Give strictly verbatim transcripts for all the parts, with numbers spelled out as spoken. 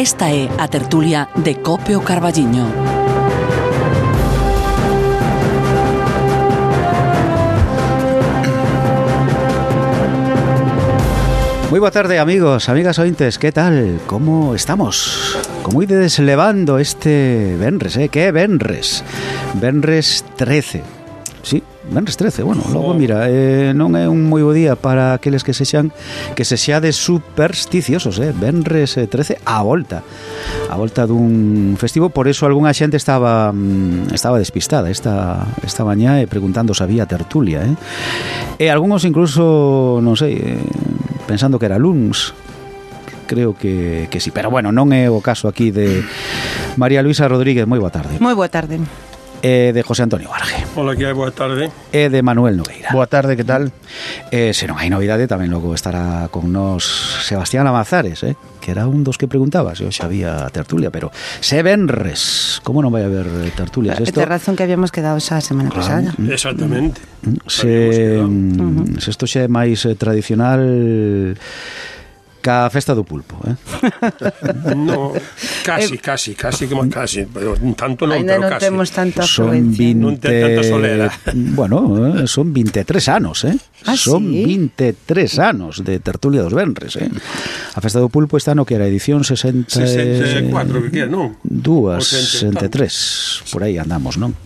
Esta é a tertulia de Cope o Carballiño. Moi boa tarde, amigos, amigas ointes, que tal? Como estamos? Como ides levando este venres, eh? Que é venres? Venres trece. Sí, venres trece, bueno, logo mira, eh, non é un moi bo día para aqueles que sexan que sexades supersticiosos, eh? Venres trece a volta. A volta dun festivo, por eso algunha xente estaba estaba despistada esta esta mañá e preguntando se había tertulia, eh? E algúns incluso, non sei, eh, pensando que era luns. Creo que, que sí, pero bueno, non é o caso aquí de María Luisa Rodríguez. Moi boa tarde. Moi boa tarde. E de José Antonio Varge. Hola, que hai, boa tarde. E de Manuel Nogueira. Boa tarde, que tal? E se non hai novidade, tamén logo estará con nos Sebastián Amazares, eh? Que era un dos que preguntaba se hoxe había tertulia, pero se venres, como non vai haber tertulias? Esto... Esta razón que habíamos quedado xa a semana pasada. Ah, exactamente. Se, se isto xa é máis tradicional ca festa do pulpo, eh? No, casi, casi, casi como casi, pero tanto non, ainda pero non casi. temos tanta Son afluencia. vinte... Non ten tanta solera. Bueno, eh, son veintitrés anos, eh? Ah, son sí? veintitrés anos de tertulia dos venres, eh? A festa do pulpo está no que era edición sesenta sesenta e cuatro, que queda, non? Dúas, sesenta sesenta e tres, por aí andamos, non?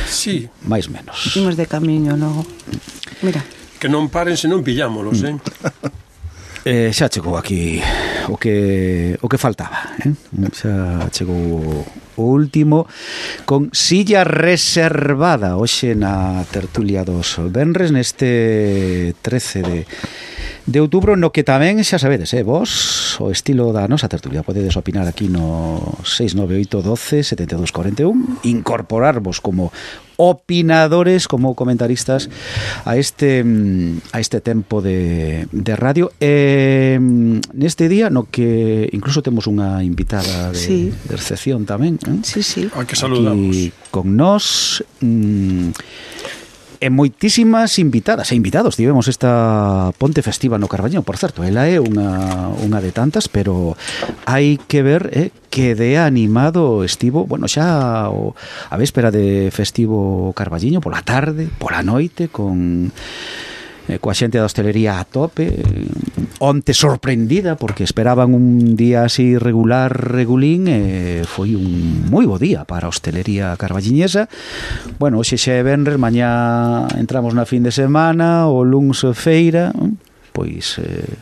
Sí. Mais menos. Imos de camiño logo. Mira. Que non paren se non pillámolos, eh? Eh, xa chegou aquí o que o que faltaba, eh? Xa chegou o último con silla reservada hoxe na tertulia dos venres neste trece de de outubro, no que tamén xa sabedes, eh, vos o estilo da nosa tertulia podedes opinar aquí no seis nove oito doce setenta e dous cuarenta e un, incorporarvos como opinadores, como comentaristas a este a este tempo de, de radio. E neste día no que incluso temos unha invitada de, sí. de recepción tamén, eh? Sí, sí. A que saludamos. Aquí con nós mmm, e moitísimas invitadas e invitados. Tivemos esta ponte festiva no Carballiño, por certo, ela é unha, unha de tantas, pero hai que ver eh, que de animado estivo, bueno, xa o, a véspera de festivo Carballiño, pola tarde, pola noite, con eh, coa xente da hostelería a tope, eh, onte sorprendida porque esperaban un día así regular, regulín, e eh, foi un moi bo día para a hostelería carballiñesa. Bueno, hoxe xa é venres, mañá entramos na fin de semana, o luns feira, pois eh,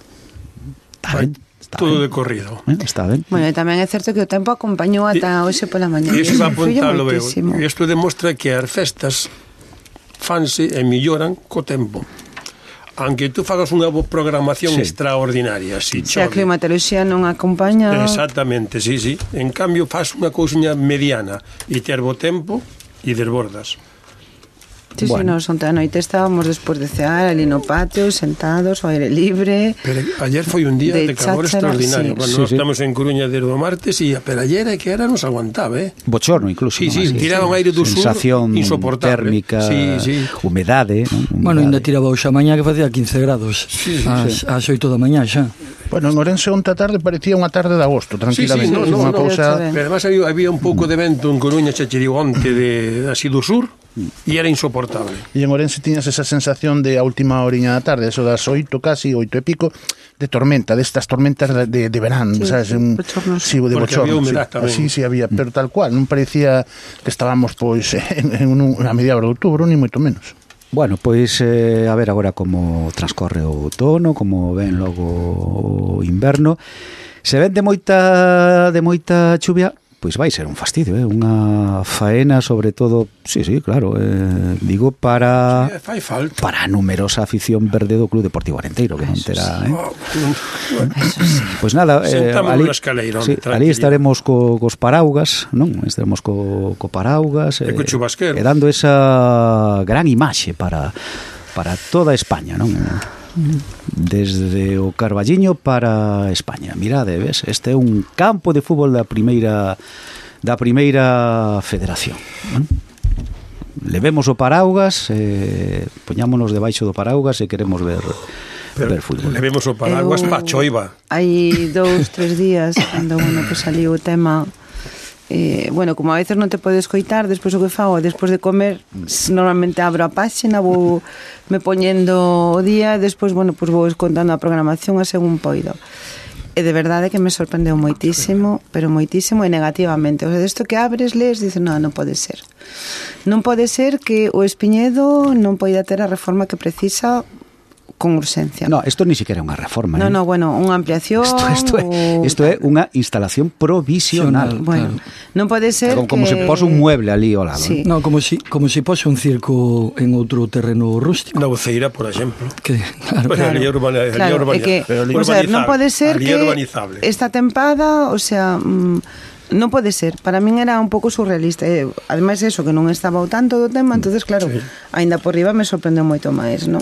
está ben. Está todo ben. de corrido. Eh, está ben. Bueno, e tamén é certo que o tempo acompañou ata hoxe pola mañá. E iso va a apuntarlo, veo. Moitísimo. Isto demostra que as festas fanse e melloran co tempo. Aunque tú fagas unha programación sí. extraordinaria, si Se a climatoloxía non acompaña... Exactamente, sí, sí. En cambio, faz unha cousiña mediana e ter bo tempo e desbordas. Sí, bueno. sí, nos onte a noite estábamos despois de cear ali no patio, sentados, ao aire libre. Pero ayer foi un día de, de calor cháchara, extraordinario. Sí. Bueno, sí, nós sí. estamos en Coruña desde o martes e pero ayer é que era nos aguantaba, eh? Bochorno incluso. Sí, ¿no? sí, Así, tiraban sí. aire do sur, sensación insoportable. Térmica, sí, sí. humedade, ¿no? Humedade. Bueno, ainda tiraba hoxe a mañá que facía quince grados. Sí, sí, ás, sí. ás oito da mañá xa. Bueno, en Orense onte a tarde parecía unha tarde de agosto, tranquilamente. Sí, sí, no, no, unha no, cousa... Pero además había, había un pouco de vento en Coruña, xa che digo, onte de, así do sur, e era insoportable. E en Orense tiñas esa sensación de a última horiña da tarde, eso das oito casi, oito e pico, de tormenta, destas tormentas de, de, de verán, sí, sabes? Sí, un, bochornos. sí, de porque bochorno, había humedad sí. tamén. Sí, sí, había, pero tal cual, non parecía que estábamos pois en, en un, a mediados de outubro, ni moito menos. Bueno, pois eh, a ver agora como transcorre o outono, como ven logo o inverno. Se ven de moita de moita chuvia, pois vai ser un fastidio, eh? Unha faena sobre todo, sí, sí, claro, eh, digo para Sí, fai falta. para a numerosa afición verde do Club Deportivo Arenteiro, que non terá, eh? Oh, Pois nada, eh, ali, sí, ali estaremos co, cos paraugas, non? Estaremos co, co paraugas e co chubasquero, e dando esa gran imaxe para para toda España, non? Desde o Carballiño para España. Mirade, ves, este é un campo de fútbol da primeira da primeira federación, non? Levemos o paraugas, eh, poñámonos debaixo do paraugas e queremos ver ver fútbol. Levemos o paraguas pa choiva. Hai dous, tres días, cando, bueno, pues saliu o tema... Eh, bueno, como a veces non te podes coitar, despois o que fago, despois de comer, normalmente abro a páxina, vou me poñendo o día, e despois, bueno, pues vou escontando a programación a según poido. E de verdade que me sorprendeu moitísimo, pero moitísimo e negativamente. O sea, desto que abres, lees, dices, non, non pode ser. Non pode ser que o Espiñedo non poida ter a reforma que precisa con urxencia. No, isto ni siquiera é unha reforma. No, eh? no, bueno, unha ampliación... Isto, isto, é, o... isto é unha instalación provisional. Bueno, claro. Non pode ser como, como que... se pose un mueble ali ao lado. Sí. No, como si, como si pose un circo en outro terreno rústico. Na Voceira, por exemplo. Que, claro, Pues Claro, ali urbana, ali claro, urbana, é que, ali o sea, non pode ser ali que urbanizable. esta tempada, o sea, mm, non pode ser. Para min era un pouco surrealista. Eh, ademais, eso, que non estaba ao tanto do tema, entonces claro, Sí. aínda por riba me sorprendeu moito máis, non?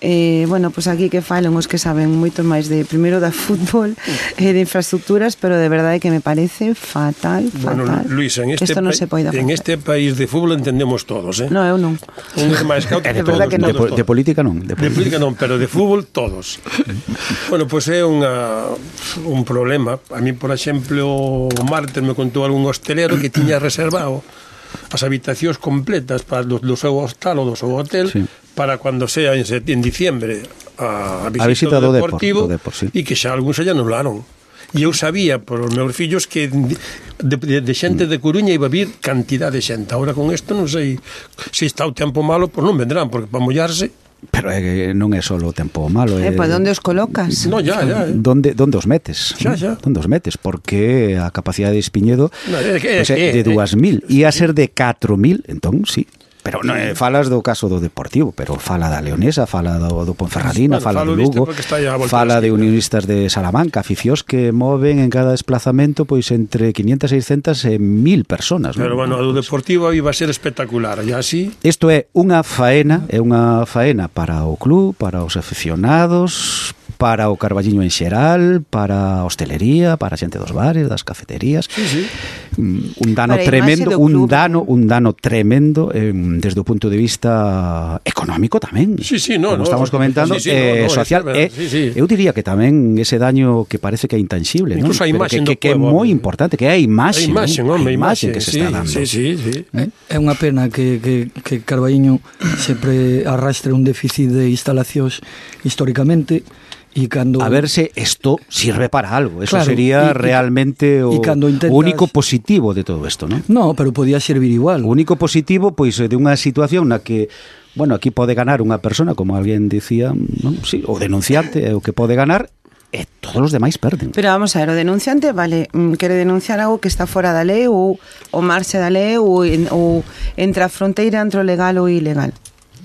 Eh, bueno, pues aquí que falen os que saben moito máis de primeiro da fútbol e eh, de infraestructuras, pero de verdade que me parece fatal, fatal. Bueno, Luis, en este, Esto non se poida en facer. este país de fútbol entendemos todos, eh? No, eu non. Un é máis cauto De que verdad todos, que non. De, todos, po- de todos. política non. De De política non, pero de fútbol todos. Bueno, pois pues é unha, un problema. A mí, por exemplo, o martes me contou algún hostelero que tiña reservado as habitacións completas para do, do seu hostal ou do seu hotel, Sí. para cando sea en, set, en diciembre a, a visita, A visita do do Deportivo, Depor, do Depor, sí. e que xa algúns xa anularon. E eu sabía por os meus fillos que de, de, de xente de Coruña iba a vir cantidad de xente. Ahora con isto non sei se está o tempo malo, pois non vendrán, porque para mollarse... Pero é que non é só o tempo malo. Eh, É, pues, onde os colocas? No, ya, ya. Eh. Donde, donde os metes? Xa, xa. Donde os metes? Porque a capacidade de Espiñedo No, é que- é pues, é que- de dúas mil. Ia a ser de catro mil, entón, sí. Pero non é, falas do caso do Deportivo, pero fala da Leonesa, fala do, do Ponferradina, Bueno, fala falo do disto Lugo, porque está aí á volta fala da de esquina. unionistas de Salamanca, aficións que moven en cada desplazamento pois entre quinientas, seiscentas e mil personas. Pero non? bueno, a do Deportivo iba a ser espectacular. E así... Isto é unha faena, é unha faena para o club, para os aficionados, para o Carballiño en xeral, para a hostelería, para a xente dos bares, das cafeterías. Sí, sí. Un dano Para a imaxe tremendo, do un club, dano, non? un dano tremendo eh, desde o punto de vista económico tamén. Sí, sí, no, Como no, estamos comentando, sí, sí, eh, no, no, social, é eh, verdade, sí, sí. eu diría que tamén ese daño que parece que é intangible, non? Incluso a Pero imaxe que, do que, que é pueblo, moi eh. importante, que é a imaxe, A imaxe, non? home, a imaxe imaxe que se sí, está dando. Sí, sí, sí. É unha pena que, que, que Carballiño sempre arrastre un déficit de instalacións históricamente e cando... A ver se isto sirve para algo. Eso Claro, sería y- y- realmente o, y cando intentas- o único positivo de todo isto, non? No, pero podía servir igual. O único positivo, pois, de unha situación na que, bueno, aquí pode ganar unha persona, como alguén dicía, non? Sí, o denunciante é o que pode ganar, e todos os demais perden. Pero vamos a ver, o denunciante, vale, mm, quere denunciar algo que está fora da lei ou o marxe da lei ou, en, ou entre a fronteira entre o legal ou o ilegal.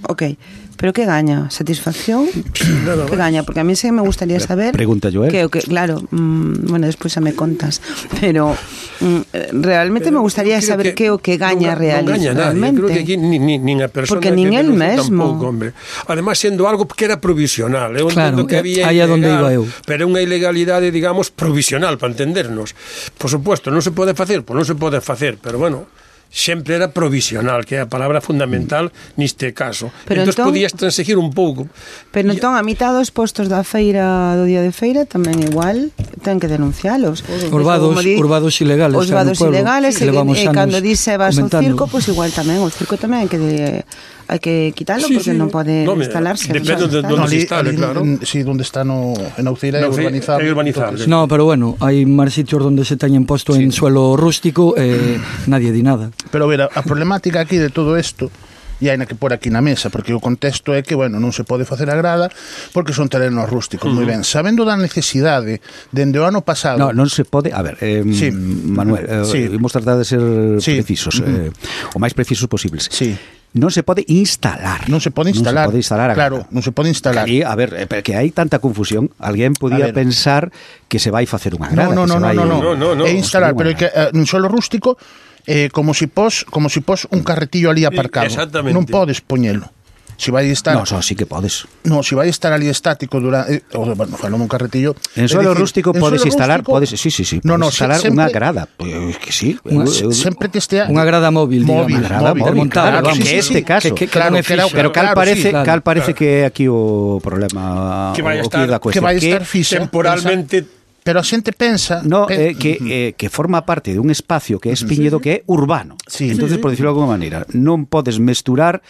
Ok, pero que gaña? Satisfacción? Que gaña? Porque a mí sí me gustaría saber... Pregunta Joel. Que, que, claro, mmm, bueno, despois xa me contas, pero mm, realmente Pero me gustaría creo saber que, o que gaña non, real, non gaña nadie. realmente. Eu creo que aquí ni, ni, nin a persona Porque que nin el denuncia mesmo. tampouco, hombre. Además, sendo algo que era provisional. Eu Claro, entendo que había aí é onde ilegal, iba eu. pero é unha ilegalidade, digamos, provisional, para entendernos. Por supuesto, non se pode facer, pois non se pode facer, pero bueno, sempre era provisional, que é a palabra fundamental neste caso. Pero entón, entón- podías transexir un pouco. Pero E- entón, a mitad dos postos da feira, do día de feira, tamén igual ten que denuncialos. Os vados, os vados ilegales. Os xa no vados pueblo, ilegales, que e, levamos e anos cando dice vas ao comentando. circo, pois pues igual tamén, o circo tamén hai que de, hai que quitarlo Sí, porque sí. non pode No, me- instalarse. depende de non donde sabe se estar. instale, claro. en- sí, donde está no, en Aucira é No, urbanizable. é urbanizable. Entonces, No, pero bueno, hai máis sitios onde se teñen posto en suelo rústico e eh, nadie di nada. Pero ver, a, a problemática aquí de todo isto e hai na que por aquí na mesa, porque o contexto é que, bueno, non se pode facer a grada porque son terrenos rústicos, moi ben. Sabendo da necesidade dende o ano pasado... No, non se pode, a ver, eh, Sí. Manuel, eh, Sí. imos tratar de ser Sí. precisos, eh, o máis precisos posibles. Sí. Non se pode instalar. Non se pode instalar. Non se pode instalar a Claro, grada. non se pode instalar. Que aí, a ver, eh, que hai tanta confusión, alguén A podía ver. pensar que se vai facer unha No, grada, no, que no, se no, vai no, no, No, no, no. É instalar, pero é construir que unha eh, nun suelo rústico eh, como si pos como si pos un carretillo ali aparcado. Exactamente. Non podes poñelo. si vai estar... No, so, sí que podes. No, si vai estar ali estático durante... Eh, bueno, falo un carretillo... En suelo decir, rústico en podes suelo instalar... Rústico, podes, sí, sí, sí. No, no, instalar sempre, unha grada. Pues, que sí. Unha, eu, sempre que estea... Unha grada móvil, móvil, digamos. Grada móvil, móvil claro, claro, vamos, que este sí, caso. Que, que, claro, que que era, pero cal claro, parece, sí, claro. cal parece claro. que é aquí o problema... Que vai o, estar, o que, que vai estar fixa. Temporalmente... Pensa, pero a xente pensa... No, pen... eh, que, eh, que forma parte de un espacio que é espiñedo que é urbano. Sí. Entonces, por decirlo de alguma maneira, non podes mesturar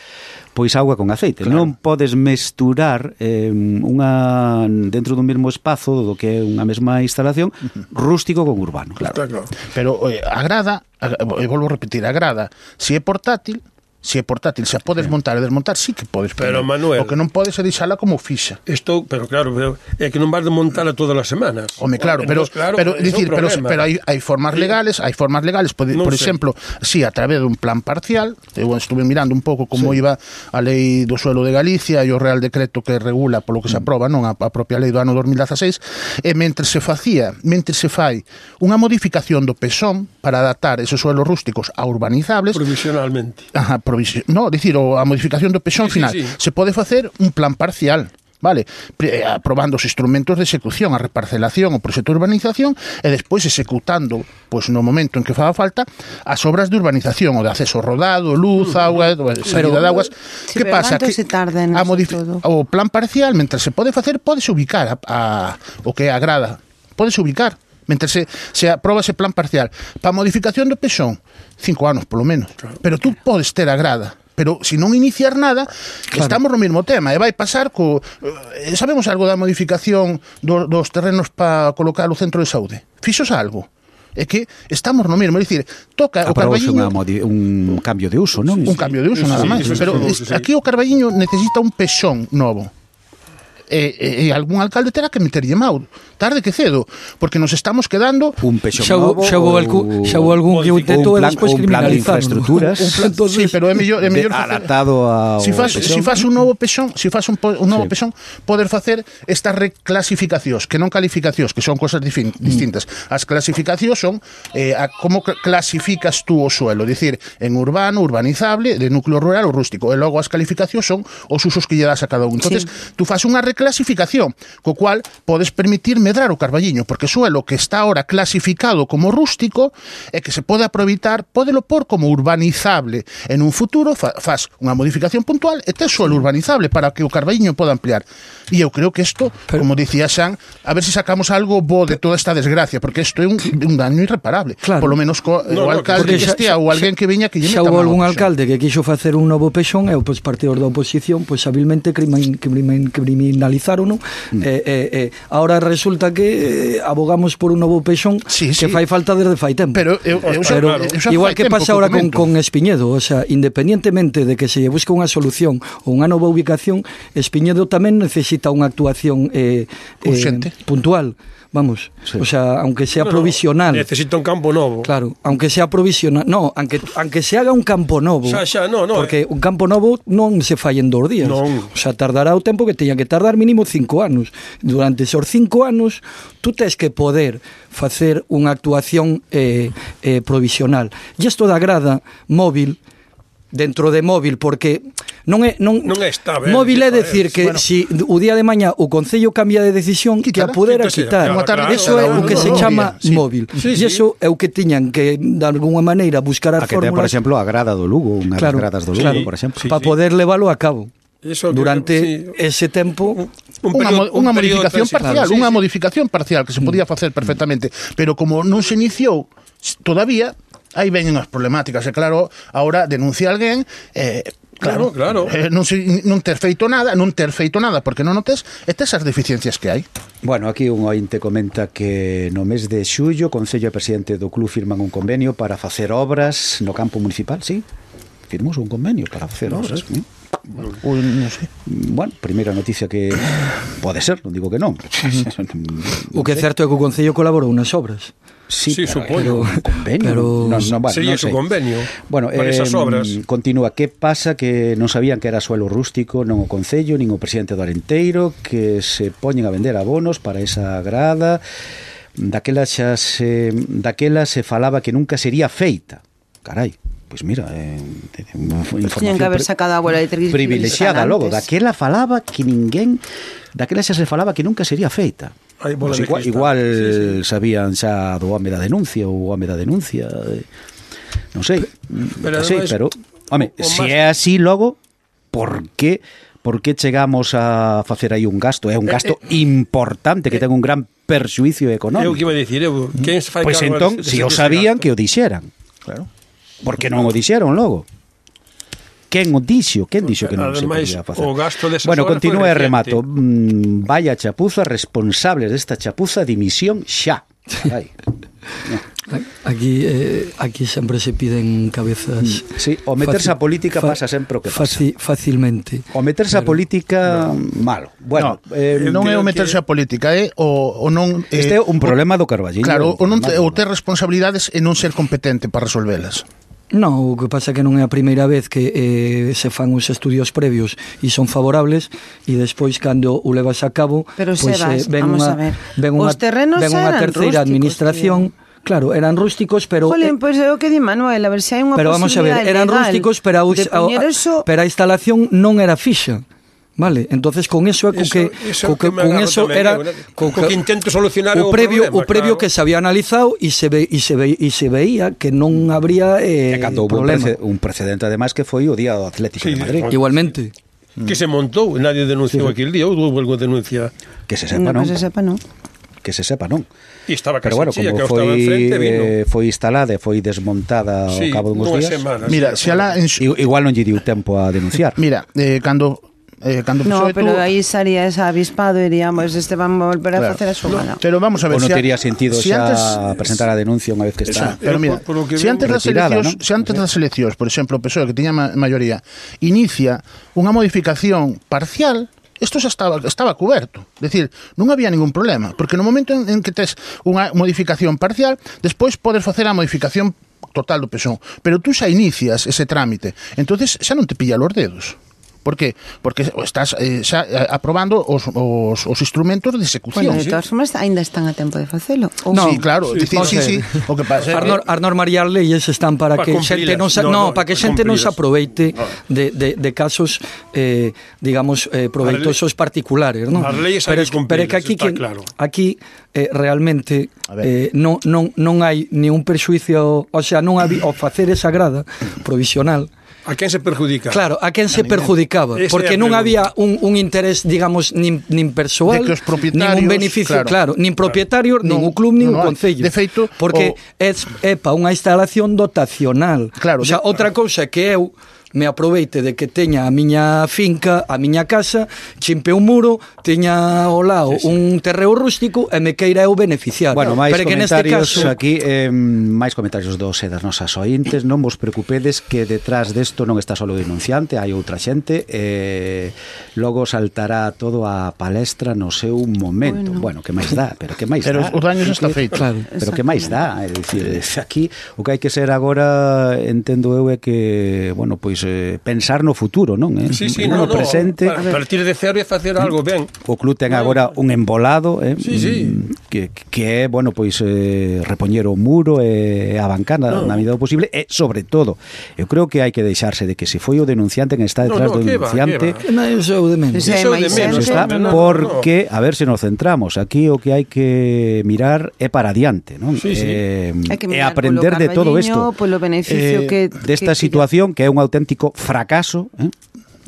pois auga con aceite. Claro. Non podes mesturar eh, unha dentro dun mesmo espazo do que é unha mesma instalación rústico con urbano. Claro. Claro. Pero oye, a grada, a, e volvo a repetir, a grada, se é portátil, se é portátil, se a podes montar e desmontar, sí que podes. Pero, poner. Manuel... O que non podes é deixala como fixa. Isto, pero claro, pero é que non vas de montala todas as semanas. Home, claro, pero, Entonces, claro, pero, é dicir, un pero, problema. pero hai, hai formas legales, hai formas legales, por, Non por sei. exemplo, si a través dun plan parcial, eu estuve mirando un pouco como Sí. iba a lei do suelo de Galicia e o Real Decreto que regula polo que se aproba, non a, a propia lei do ano dos mil dieciséis, e mentre se facía, mentre se fai unha modificación do pezón para adaptar esos suelos rústicos a urbanizables, Provisionalmente. Ajá, provisi- no, dicir, o a modificación do pezón Sí, sí, final, sí. se pode facer un plan parcial, vale, Pre- eh, aprobando os instrumentos de execución, a reparcelación, o proxecto de urbanización e despois executando, pois no momento en que faga falta, as obras de urbanización, o de acceso rodado, luz, auga, salida de aguas. Sí, Que pero pasa? canto Que se tarda en a eso modifi- todo? o plan parcial, mentre se pode facer, podes ubicar a, a o que agrada, podes ubicar mentre se, se aproba ese plan parcial. Para a modificación do pezón, cinco anos polo menos, claro. Pero tú podes ter a grada, pero se non iniciar nada, claro. Estamos no mesmo tema, e vai pasar co... Eh, sabemos algo da modificación do, dos terrenos para colocar o centro de saúde? Fixos algo? É que estamos no mesmo, é dicir, toca o Aprobouse Carballiño... modi- un cambio de uso, non? Un cambio de uso, Sí, nada sí, máis. sí, Pero sí, es- sí. aquí o Carballiño necesita un pezón novo. E, e, e algún alcalde terá que meterlle mau, tarde que cedo, porque nos estamos quedando Un pexón Xa hubo, novo xa hubo, ou- algún, xa hubo algún que o ou intentou un e plan- despois ou un plan de criminalizaron. infraestructuras. un plan, Entonces, sí, pero é mellor, é de- mellor facer, adaptado ao si fas, pexón. si fas un novo pexón, si fas un, po, un novo Sí. pexón, poder facer estas reclasificacións, que non calificacións, que son cosas difin, distintas. As clasificacións son eh, a como cl- clasificas tú o suelo, dicir, en urbano, urbanizable, de núcleo rural ou rústico, e logo as calificacións son os usos que lle das a cada un. Entonces, sí. Tú fas unha reclasificación, co cual podes permitir medrar o Carballiño, porque o suelo que está ahora clasificado como rústico e que se pode aproveitar, pódelo por como urbanizable. En un futuro fa, faz unha modificación puntual e tes suelo urbanizable para que o Carballiño poda ampliar. E eu creo que isto, Pero, como dicía Xan, a ver se si sacamos algo bo de toda esta desgracia, porque isto é un, un daño irreparable. Claro. Por lo menos co, No, o no, alcalde porque que xa- estea ou alguén que veña que lle xa meta houve mano algún ao pexón. alcalde que quixo facer un novo pexón e os partidos da oposición pois habilmente crimin, crimin, criminalizaron, mm. e, e, e ahora resulta que eh, abogamos por un novo pexón Sí, que sí. fai falta desde fai tempo. Pero eu, eu xa, Pero eu xa igual fai que tempo pasa ahora con, comento. con Espiñedo, o sea, independientemente de que se lle busque unha solución ou unha nova ubicación, Espiñedo tamén necesita unha actuación eh, Urxente. eh, puntual, vamos, Sí. o sea, aunque sea No, no, provisional. Necesita un campo novo. Claro, aunque sea provisional, no, aunque aunque se haga un campo novo. Xa, xa, no, no, porque un campo novo non se fai en dos días. Non. O sea, tardará o tempo que teña que tardar mínimo cinco anos. Durante esos cinco anos tú tes que poder facer unha actuación eh, eh, provisional. E isto da grada móvil dentro de móvil, porque non é non, Non é estable, móvil é eh, decir que bueno. si o día de maña o Concello cambia de decisión, que a Quítala, pudera quítase, quitar. claro, claro, Eso é claro, o que no, se no, chama sí. móvil. Sí, E sí. iso é o que tiñan que, de alguna maneira, buscar as A que ten, por fórmulas exemplo, a grada do Lugo, unhas Claro, gradas do Lugo, claro, por exemplo. sí. para poder leválo a cabo. Eso que- Durante sí. ese tempo Un Unha, período- mo- unha un período modificación transitorio. parcial, Sí, unha sí. modificación parcial que se podía facer perfectamente, pero como non se iniciou todavía, aí veñen as problemáticas, e claro, ahora denuncia alguén, eh, claro, Claro, claro. Eh, non, se, non ter feito nada, non ter feito nada porque non o tes, e tes as deficiencias que hai. Bueno, aquí un ointe comenta que no mes de xullo o Concello e o presidente do club firman un convenio para facer obras no campo municipal, sí? Firmamos un convenio para facer obras. ¿Sí? Ui, non sei. Bueno, primeira noticia que pode ser, non digo que non. o que é certo é que o Concello colaborou nas obras. Sí, Sí, pero, supoño. un convenio. Pero- non, non, bueno, Sería non su sei. convenio Bueno, para eh, esas obras. Continúa, que pasa que non sabían que era suelo rústico, non o Concello, nin o presidente do Arenteiro, que se poñen a vender abonos para esa grada. Daquela xa se daquela se falaba que nunca sería feita. Carai, pois mira, eh, Tiñan que haber sacado a bola de triglicéridos privilexiada logo, antes. daquela falaba que ninguén, daquela xa se falaba que nunca sería feita. Hai bola Pois de igual, cristal. igual Sí, sí. sabían xa do home da denuncia ou o home da denuncia, eh, non sei, Pero sí, ademais, pero home, o se máis- é así logo, por que por que chegamos a facer aí un gasto? É un gasto eh, importante que ten un gran perxuicio económico. Eu que iba a dicir, eu, quen se fai Pois cargo entón, dese- se o dese sabían, gasto? que o dixeran. Claro. Por que non o dixeron logo? Quen o dixo? Quen dixo que non Ademais, se podía facer? o gasto desas Bueno, horas continúe foi e remato. reciente. Mm, vaya chapuza, responsables desta chapuza, dimisión xa. Ai. Aquí eh, aquí sempre se piden cabezas. Sí, o meterse Faci- a política fa- pasa sempre o que pasa. faci- Facilmente. O meterse a política, malo. Bueno, no, eh, non é creo o meterse que- a política, é o, o non... este é un problema do Carballiño. Claro, o non te, Problema, o ter responsabilidades e non ser competente para resolvelas. No, o que pasa é que non é a primeira vez que eh, se fan os estudios previos e son favorables e despois cando o levas a cabo Pero, pois, Sebas, ven vamos unha, a ver. ven unha, Os terrenos ven unha eran terceira rústicos, administración. Claro, eran rústicos, pero Jolín, eh, pois é o que di Manuel, a ver se hai unha pero vamos a ver, posibilidade eran legal rústicos, pero a, de poñer a, eso... pero a instalación non era fixa. Vale, entonces con eso é co Eso- que, eso co que que me con agarro eso tamén, era eu, né? co Co que intento solucionar o o previo problema, o previo claro. que se había analizado e se ve e se ve e se veía que non habría eh, E cando houve un, problema. prece- un precedente además que foi o día do Atlético Sí, de Madrid. sí. Igualmente. Que se montou, nadie denunciou aquel día, ou houve algo denuncia. Que se sepa, No, non? que se sepa, non. Que se sepa, non? E estaba Pero casi bueno, chía, como que eu estaba foi enfrente, vino. eh, foi instalada e foi desmontada Sí, ao cabo de uns nunhas días. semanas. Mira, sí, se ala en, I- Igual non lle diu tempo a denunciar. mira, eh, cando eh, cando No, P S O E pero tuvo- aí sería ese avispado e diríamos, este van a volver a Claro. facer a xogada. Pero vamos a ver, Ou non se a- tería sentido si xa antes- presentar a denuncia unha vez que Eso, está. pero Eu, mira, por- por lo que se veo, antes das retirada, eleccións, ¿no? se antes das eleccións, por exemplo, o P S O E que tiña ma maioría, inicia unha modificación parcial, isto xa estaba estaba cuberto. É dicir, non había ningún problema, porque no momento en, en que tes unha modificación parcial, despois podes facer a modificación total do P S O E, pero tú xa inicias ese trámite. Entonces xa non te pilla los dedos. Por qué? Porque estás eh, xa eh, aprobando os, os, os instrumentos de execución. Bueno, de todas formas, ainda están a tempo de facelo. Ou No, Sí, claro, sí, dicir, vamos sí, a sí, ver. o que pasa é As, nor, as normas e as leyes están para Pa que cumprilas. xente non sa, No, no, no, para que pa xente non se cumprilas. aproveite de, de, de casos eh, digamos eh, proveitosos particulares, ¿no? As leyes pero, hai es- que pero é que cumprilas, aquí está que, claro. aquí eh, realmente A ver. eh, non, non, non hai ni un perxuicio, o sea, non había ao facer esa grada provisional. A quen se perjudica? Claro, a quen se perjudicaba, Esa é porque a non pregunta. había un, un interés, digamos, nin, nin persoal, De que os propietarios, nin un beneficio, claro, claro. nin propietario, nin Non, un club, nin non un hai. concello. De feito, porque o- é, é pa unha instalación dotacional. Claro, o sea, de- outra cousa que eu me aproveite de que teña a miña finca, a miña casa, chimpe un muro, teña ao lado sí, sí. un terreo rústico e me queira eu beneficiar. Bueno, máis pero que neste comentarios caso, aquí, eh, máis comentarios dos e das nosas ointes. Non vos preocupedes que detrás desto non está solo o denunciante, hai outra xente, eh, logo saltará todo a palestra no seu momento. Bueno, Bueno. que máis dá, pero que máis Pero dá. os daños está feito. claro. Pero que máis dá, é dicir, aquí o que hai que ser agora, entendo eu, é que, bueno, pois eh, pensar no futuro, non? Eh? Sí, sí, no, no, no, presente. para partir de cero e facer algo ben. O club ten agora un embolado, eh, Sí, sí. que, que é, bueno, pois eh, repoñer o muro e a bancana no. na medida do posible, e sobre todo, eu creo que hai que deixarse de que se foi o denunciante quen está detrás No, no, do que va, denunciante. que non, iso é o de menos. Ese é Iso máis de menos, xente. Está no, no, porque, a ver se nos centramos, aquí o que hai que mirar é para adiante, non? Sí, sí. Eh, Hai que e mirar aprender polo de todo isto. Carballiño, polo beneficio que- desta que- situación que é un auténtico fracaso, eh?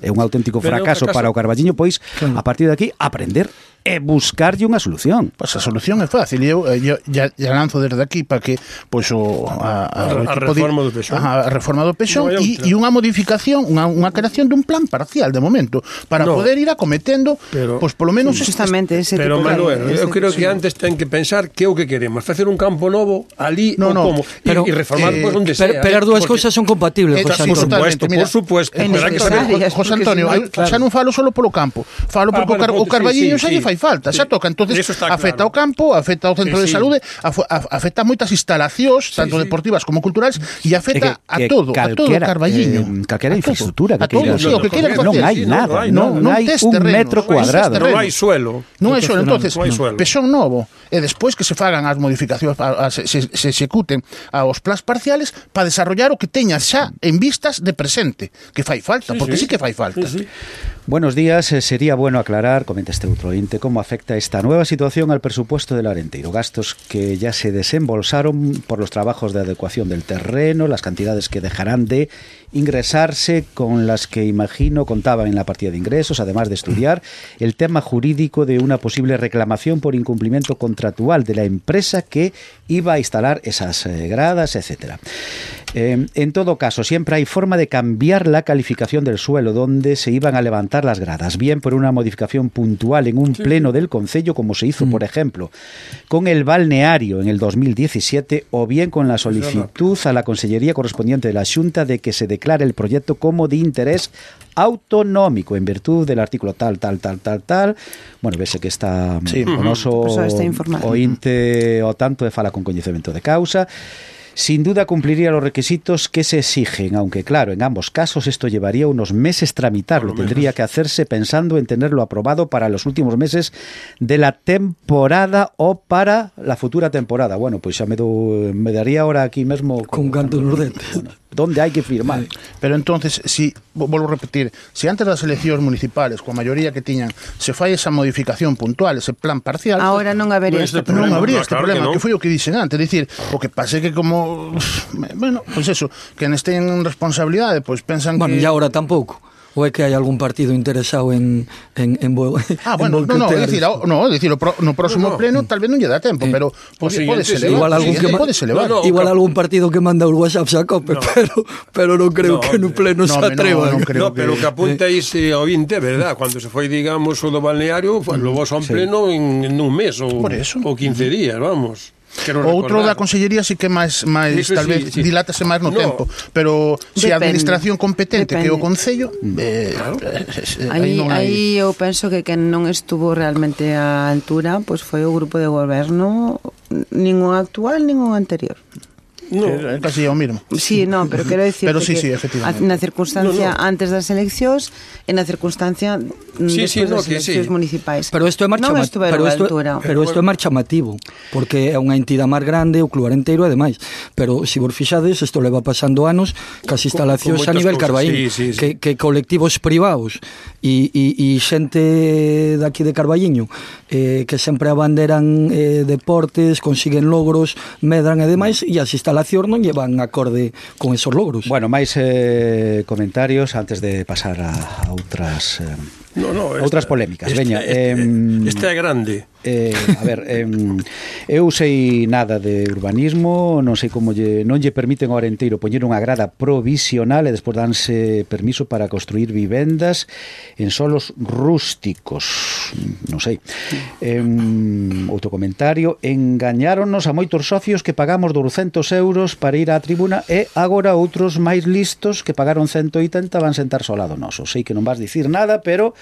É un auténtico Pero é un fracaso, fracaso. para o Carballiño, pois, a partir de aquí, aprender e buscarlle unha solución. Pois a solución é fácil e eu, eu ya, ya lanzo desde aquí para que pois o a, a, A- a o equipo reforma di- do P S O E. Ajá, a reforma do P S O Non hai e, outra. e unha modificación, unha, unha creación dun plan parcial de momento para No. poder ir acometendo Pero- pois polo menos este- Justamente ese Pero tipo de- Manuel, ese eu creo tipo que de- antes ten que pensar que é o que queremos, facer un campo novo ali No, ou no, como pero, e, e reformar eh, pois onde Pero, sea. pero as eh, dúas porque- cousas son compatibles, Eh, José sí, Antonio. supuesto, totalmente, mira. por supuesto, É pero hai que saber necesario. José porque Antonio, si no- eu xa non falo solo polo campo, falo Ah, porque bueno, o, Car o sí, Carballiño sí, xa lle sí. fai fai falta, xa toca, entonces afecta ao campo, afecta ao centro de saúde, afecta a moitas instalacións, tanto deportivas como culturais, e afecta a todo, a todo o Carballiño. Calquera infraestructura que queira. Non hai nada, non hai un metro cuadrado. Non hai suelo. Non hai suelo, entonces, pezón novo, e despois que se fagan as modificacións, se se executen aos plans parciales para desarrollar o que teña xa en vistas de presente, que fai falta, porque sí que fai falta. Buenos días, sería bueno aclarar, comenta este outro ointe, cómo afecta esta nueva situación al presupuesto del Arenteiro. Gastos que ya se desembolsaron por los trabajos de adecuación del terreno, las cantidades que dejarán de ingresarse, con las que imagino contaban en la partida de ingresos, además de estudiar el tema jurídico de una posible reclamación por incumplimiento contractual de la empresa que iba a instalar esas gradas, etcétera. Eh, en todo caso, siempre hay forma de cambiar la calificación del suelo donde se iban a levantar las gradas, bien por una modificación puntual en un sí. pleno del concello, como se hizo, mm. por ejemplo, con el balneario en el dos mil diecisiete, o bien con la solicitud a la consellería correspondiente de la Xunta de que se declare el proyecto como de interés autonómico en virtud del artículo tal, tal, tal, tal, tal. Bueno, vese que está sí. o noso ointe o tanto de fala con coñecemento de causa. Sin duda cumpliría los requisitos que se exigen, aunque claro, en ambos casos esto llevaría unos meses tramitarlo. Tendría que hacerse pensando en tenerlo aprobado para los últimos meses de la temporada o para la futura temporada. Bueno, pues ya me, do, me daría ahora aquí mismo... Con canto nos dentes. Bueno, ¿dónde hay que firmar? Sí. Pero entonces, si, vuelvo a repetir, si antes das eleccións municipales, coa maioría que tiñan, se fai esa modificación puntual, ese plan parcial... Ahora non habería este problema. Non habría este problema, que foi o que dixen antes. Dicir, o que pase que como... Bueno, pois pues eso, que nes teñen responsabilidade, pois pues pensan bueno, que... Bueno, e agora tampouco. Ou é que hai algún partido interesado en en en bo, Ah, bueno, no, no, é dicir, no, dicir, no próximo no, no. pleno tal vez non lle dá tempo, eh, pero pode pode ser igual algún que pode ser no, no, igual algún partido que manda o WhatsApp a cope, no. pero pero non creo no, que no pleno no, se atreva. No, no, creo no que... pero que apunta ese ao vinte, verdad, cando se foi, digamos, o do balneario, pues, lo vos a un pleno sí. en, en un mes ou ou quince días, vamos. O outro da consellería sí que máis máis tal sí, vez sí. dilátase máis no, no tempo, pero se si a administración competente depende. Que o concello eh, claro. eh, aí non hai... aí eu penso que quen non estuvo realmente á altura pois pues foi o grupo de goberno, nin o actual nin o anterior. No. É casi o mismo. Sí, no, pero quero dicir pero sí, que sí, efectivamente. na circunstancia no, no. antes das eleccións e na circunstancia sí, despois sí, no, das eleccións sí. municipais. Pero isto é máis non chamativo, pero isto, pero isto é máis chamativo, porque é unha entidade máis grande, o club arenteiro ademais. Pero se vos fixades, isto leva pasando anos cas instalacións a nivel Carballiño, sí, sí, sí. que que colectivos privados e e e xente daqui de Carballiño eh que sempre abanderan eh, deportes, consiguen logros, medran e demais, e as instalacións non llevan acorde con esos logros. Bueno, máis eh, comentarios antes de pasar a, a outras eh, no, no, esta, outras polémicas. Esta, Veña, este, eh, esta é grande. Eh, a ver, eh, eu sei nada de urbanismo, non sei como lle, non lle permiten ao Arenteiro poñer unha grada provisional e despois danse permiso para construir vivendas en solos rústicos. Non sei. Eh, outro comentario, engañáronnos a moitos socios que pagamos douscentos euros para ir á tribuna e agora outros máis listos que pagaron ciento oitenta van sentarse ao lado noso. Sei que non vas dicir nada, pero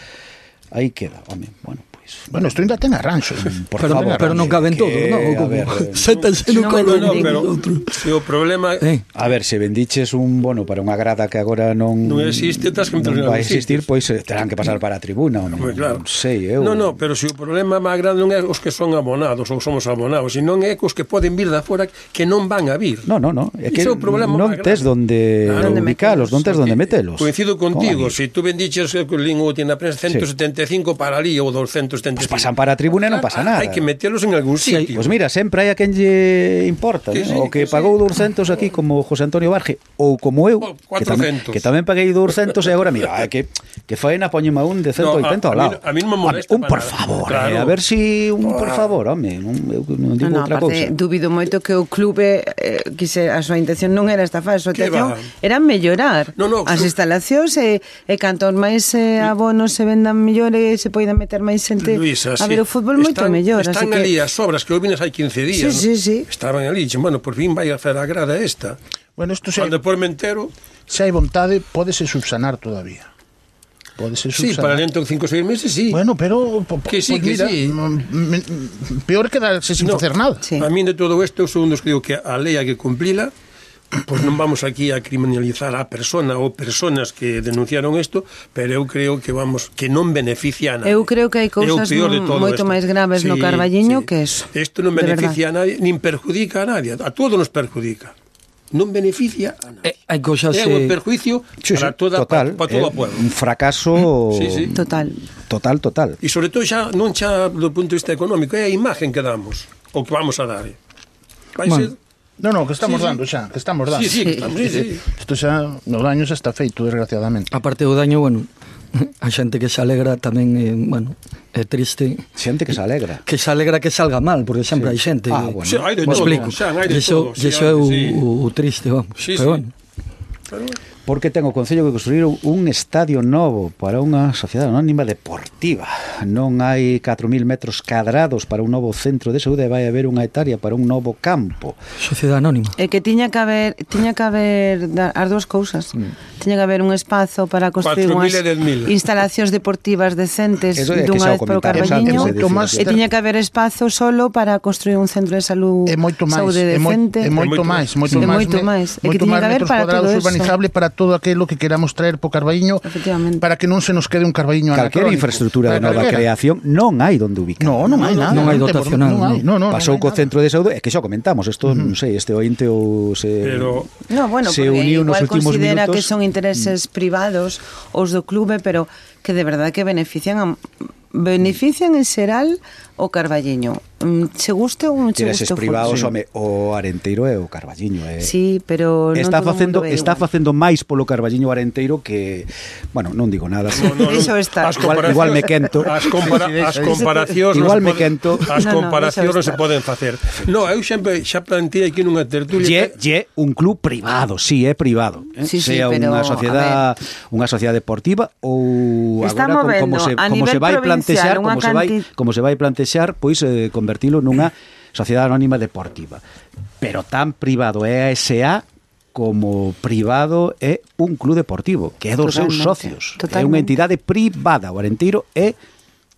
aí queda, home, bueno. Bueno, isto ainda ten arranxo, por pero, favor, pero non caben todos, non? A ver, séntanse no colo. No, pero se o problema eh. A ver, se vendiches un bono para unha grada que agora non non existe, tas que non vai existir, pois terán que pasar para a tribuna, ou non, pues claro. non sei, eu. No, no, pero se o problema máis grande non é os que son abonados ou somos abonados, senón é os que poden vir da fora que non van a vir. No, no, no, é que non tes donde ubicalos, non tes donde metelos. Coincido contigo, se tú vendiches o lingo tiene a prensa ciento setenta e cinco para ali ou doscientos setenta e cinco. Pues pasan para a tribuna e non pasa nada. Hai que metelos en algún sitio. Pois pues mira, sempre hai a quen lle importa, ¿no? Sí, o que, que pagou sí. douscentos aquí como José Antonio Barge ou como eu, que tamén, que tamén paguei douscentos e agora mira, que que faena poñeme a un de ciento oitenta ao lado. A mí non me molesta. Un por favor, claro. eh, a ver si un por favor, home, non eu non digo no, no, outra cousa. Dubido moito que o clube eh, quise a súa intención non era estafar, a súa intención era mellorar no, no, as instalacións e, e cantos máis eh, abonos se vendan mellor e se poidan meter máis xente a ver o fútbol moito mellor. Están así ali que... as obras que eu vines hai quince días, sí, ¿no? sí, sí. Estaban ali, dixen, bueno, por fin vai a hacer a grada esta. Bueno, isto se Cando por me entero, se hai vontade, pódese subsanar todavía. Pode ser Sí, subsanar. para dentro de cinco ou seis meses, sí. Bueno, pero po, po, Que sí, pues que mira, sí. m- m- peor quedarse sin No. facer nada. Sí. A mí de todo isto, eu sou un dos que digo que a lei hai que cumplila, pois non vamos aquí a criminalizar a persona ou personas que denunciaron isto, pero eu creo que vamos que non beneficia a nadie. Eu creo que hai cousas É o peor de mo- todo moito isto. máis graves no Carballiño que eso, Isto non de beneficia a nadie, nin perjudica a nadie, a todos nos perjudica. Non beneficia a nadie. Eh, hai cousas... É un eh, perjuicio Sí, sí, para toda total, para, para todo é o pueblo. un fracaso Sí, sí. Total. total, total. E sobre todo xa non xa do punto de vista económico, é a imagen que damos, o que vamos a dar. Vai Bueno. ser No, no, que estamos Sí, sí. dando xa, que estamos dando. Sí, sí, que estamos, sí, sí. Isto xa, no daño xa está feito, desgraciadamente. Aparte do daño, bueno, a xente que se alegra tamén, eh, bueno, é triste. Xente que se alegra. Que se alegra que salga mal, porque sempre hai xente. Ah, que- bueno. Sí, hai de Me todo, explico. xa, hai de E iso, todo, e sí, iso é o, sí. o, o triste, vamos. Sí, Pero sí. bueno, Porque ten o Concello que construir un estadio novo para unha sociedade anónima deportiva. Non hai catro mil metros cadrados para un novo centro de saúde e vai haber unha hectárea para un novo campo. sociedade anónima. É que tiña que haber, tiña que haber da- as dúas cousas. Tiña que haber un espazo para construir cuatro mil unhas e dez mil. instalacións deportivas decentes Eso é que dunha xa o vez para o comentamos Carballiño. antes de decir E así. tiña que haber espazo solo para construir un centro de salud É moito máis, saúde é, moi, decente. é moito É moito máis, máis. moito É máis, moito me- máis. É que moito tiña máis que haber metros para cuadrados todo eso. urbanizable para todo aquilo que queramos traer po Carballiño, Efectivamente. para que non se nos quede un Carballiño Calquera anacrónico. infraestructura de Para nova calquera. creación non hai donde ubicar. No, non hai nada. non hai temos- dotacional, Non hai, no, no, Pasou non hai co nada. centro de saúde, é que xa o comentamos, isto non sei, este ointe ou se Pero No, bueno, se porque uniu nos igual últimos considera minutos. que son intereses privados os do clube, pero que de verdade que benefician a, benefician en xeral o Carballiño. Mm, Se guste ou non che Queres guste o privados, fútbol. home, o Arenteiro e o Carballiño, eh. Sí, pero non está todo o facendo mundo é está igual. facendo máis polo Carballiño Arenteiro que, bueno, non digo nada. No, no, no. Iso está. As Igual- comparacións- igual me quento. As, compara as comparacións Igual non me se poden- quento. As No, no, comparacións deixa non se estar. poden facer. No, eu sempre xa plantei aquí nunha tertulia Lle, que- lle un club privado, sí, é privado, eh? Sí, sí, sea pero, unha a sociedade, unha sociedade deportiva ou Está agora como, como movendo se a como nivel se vai plantexar, provincial unha como se vai canti- como se vai plantexar, pois eh, convertilo nunha sociedade anónima deportiva. Pero tan privado é a S A como privado é un club deportivo, que é dos seus Totalmente, socios. É unha totalmente. entidade privada. O Arenteiro é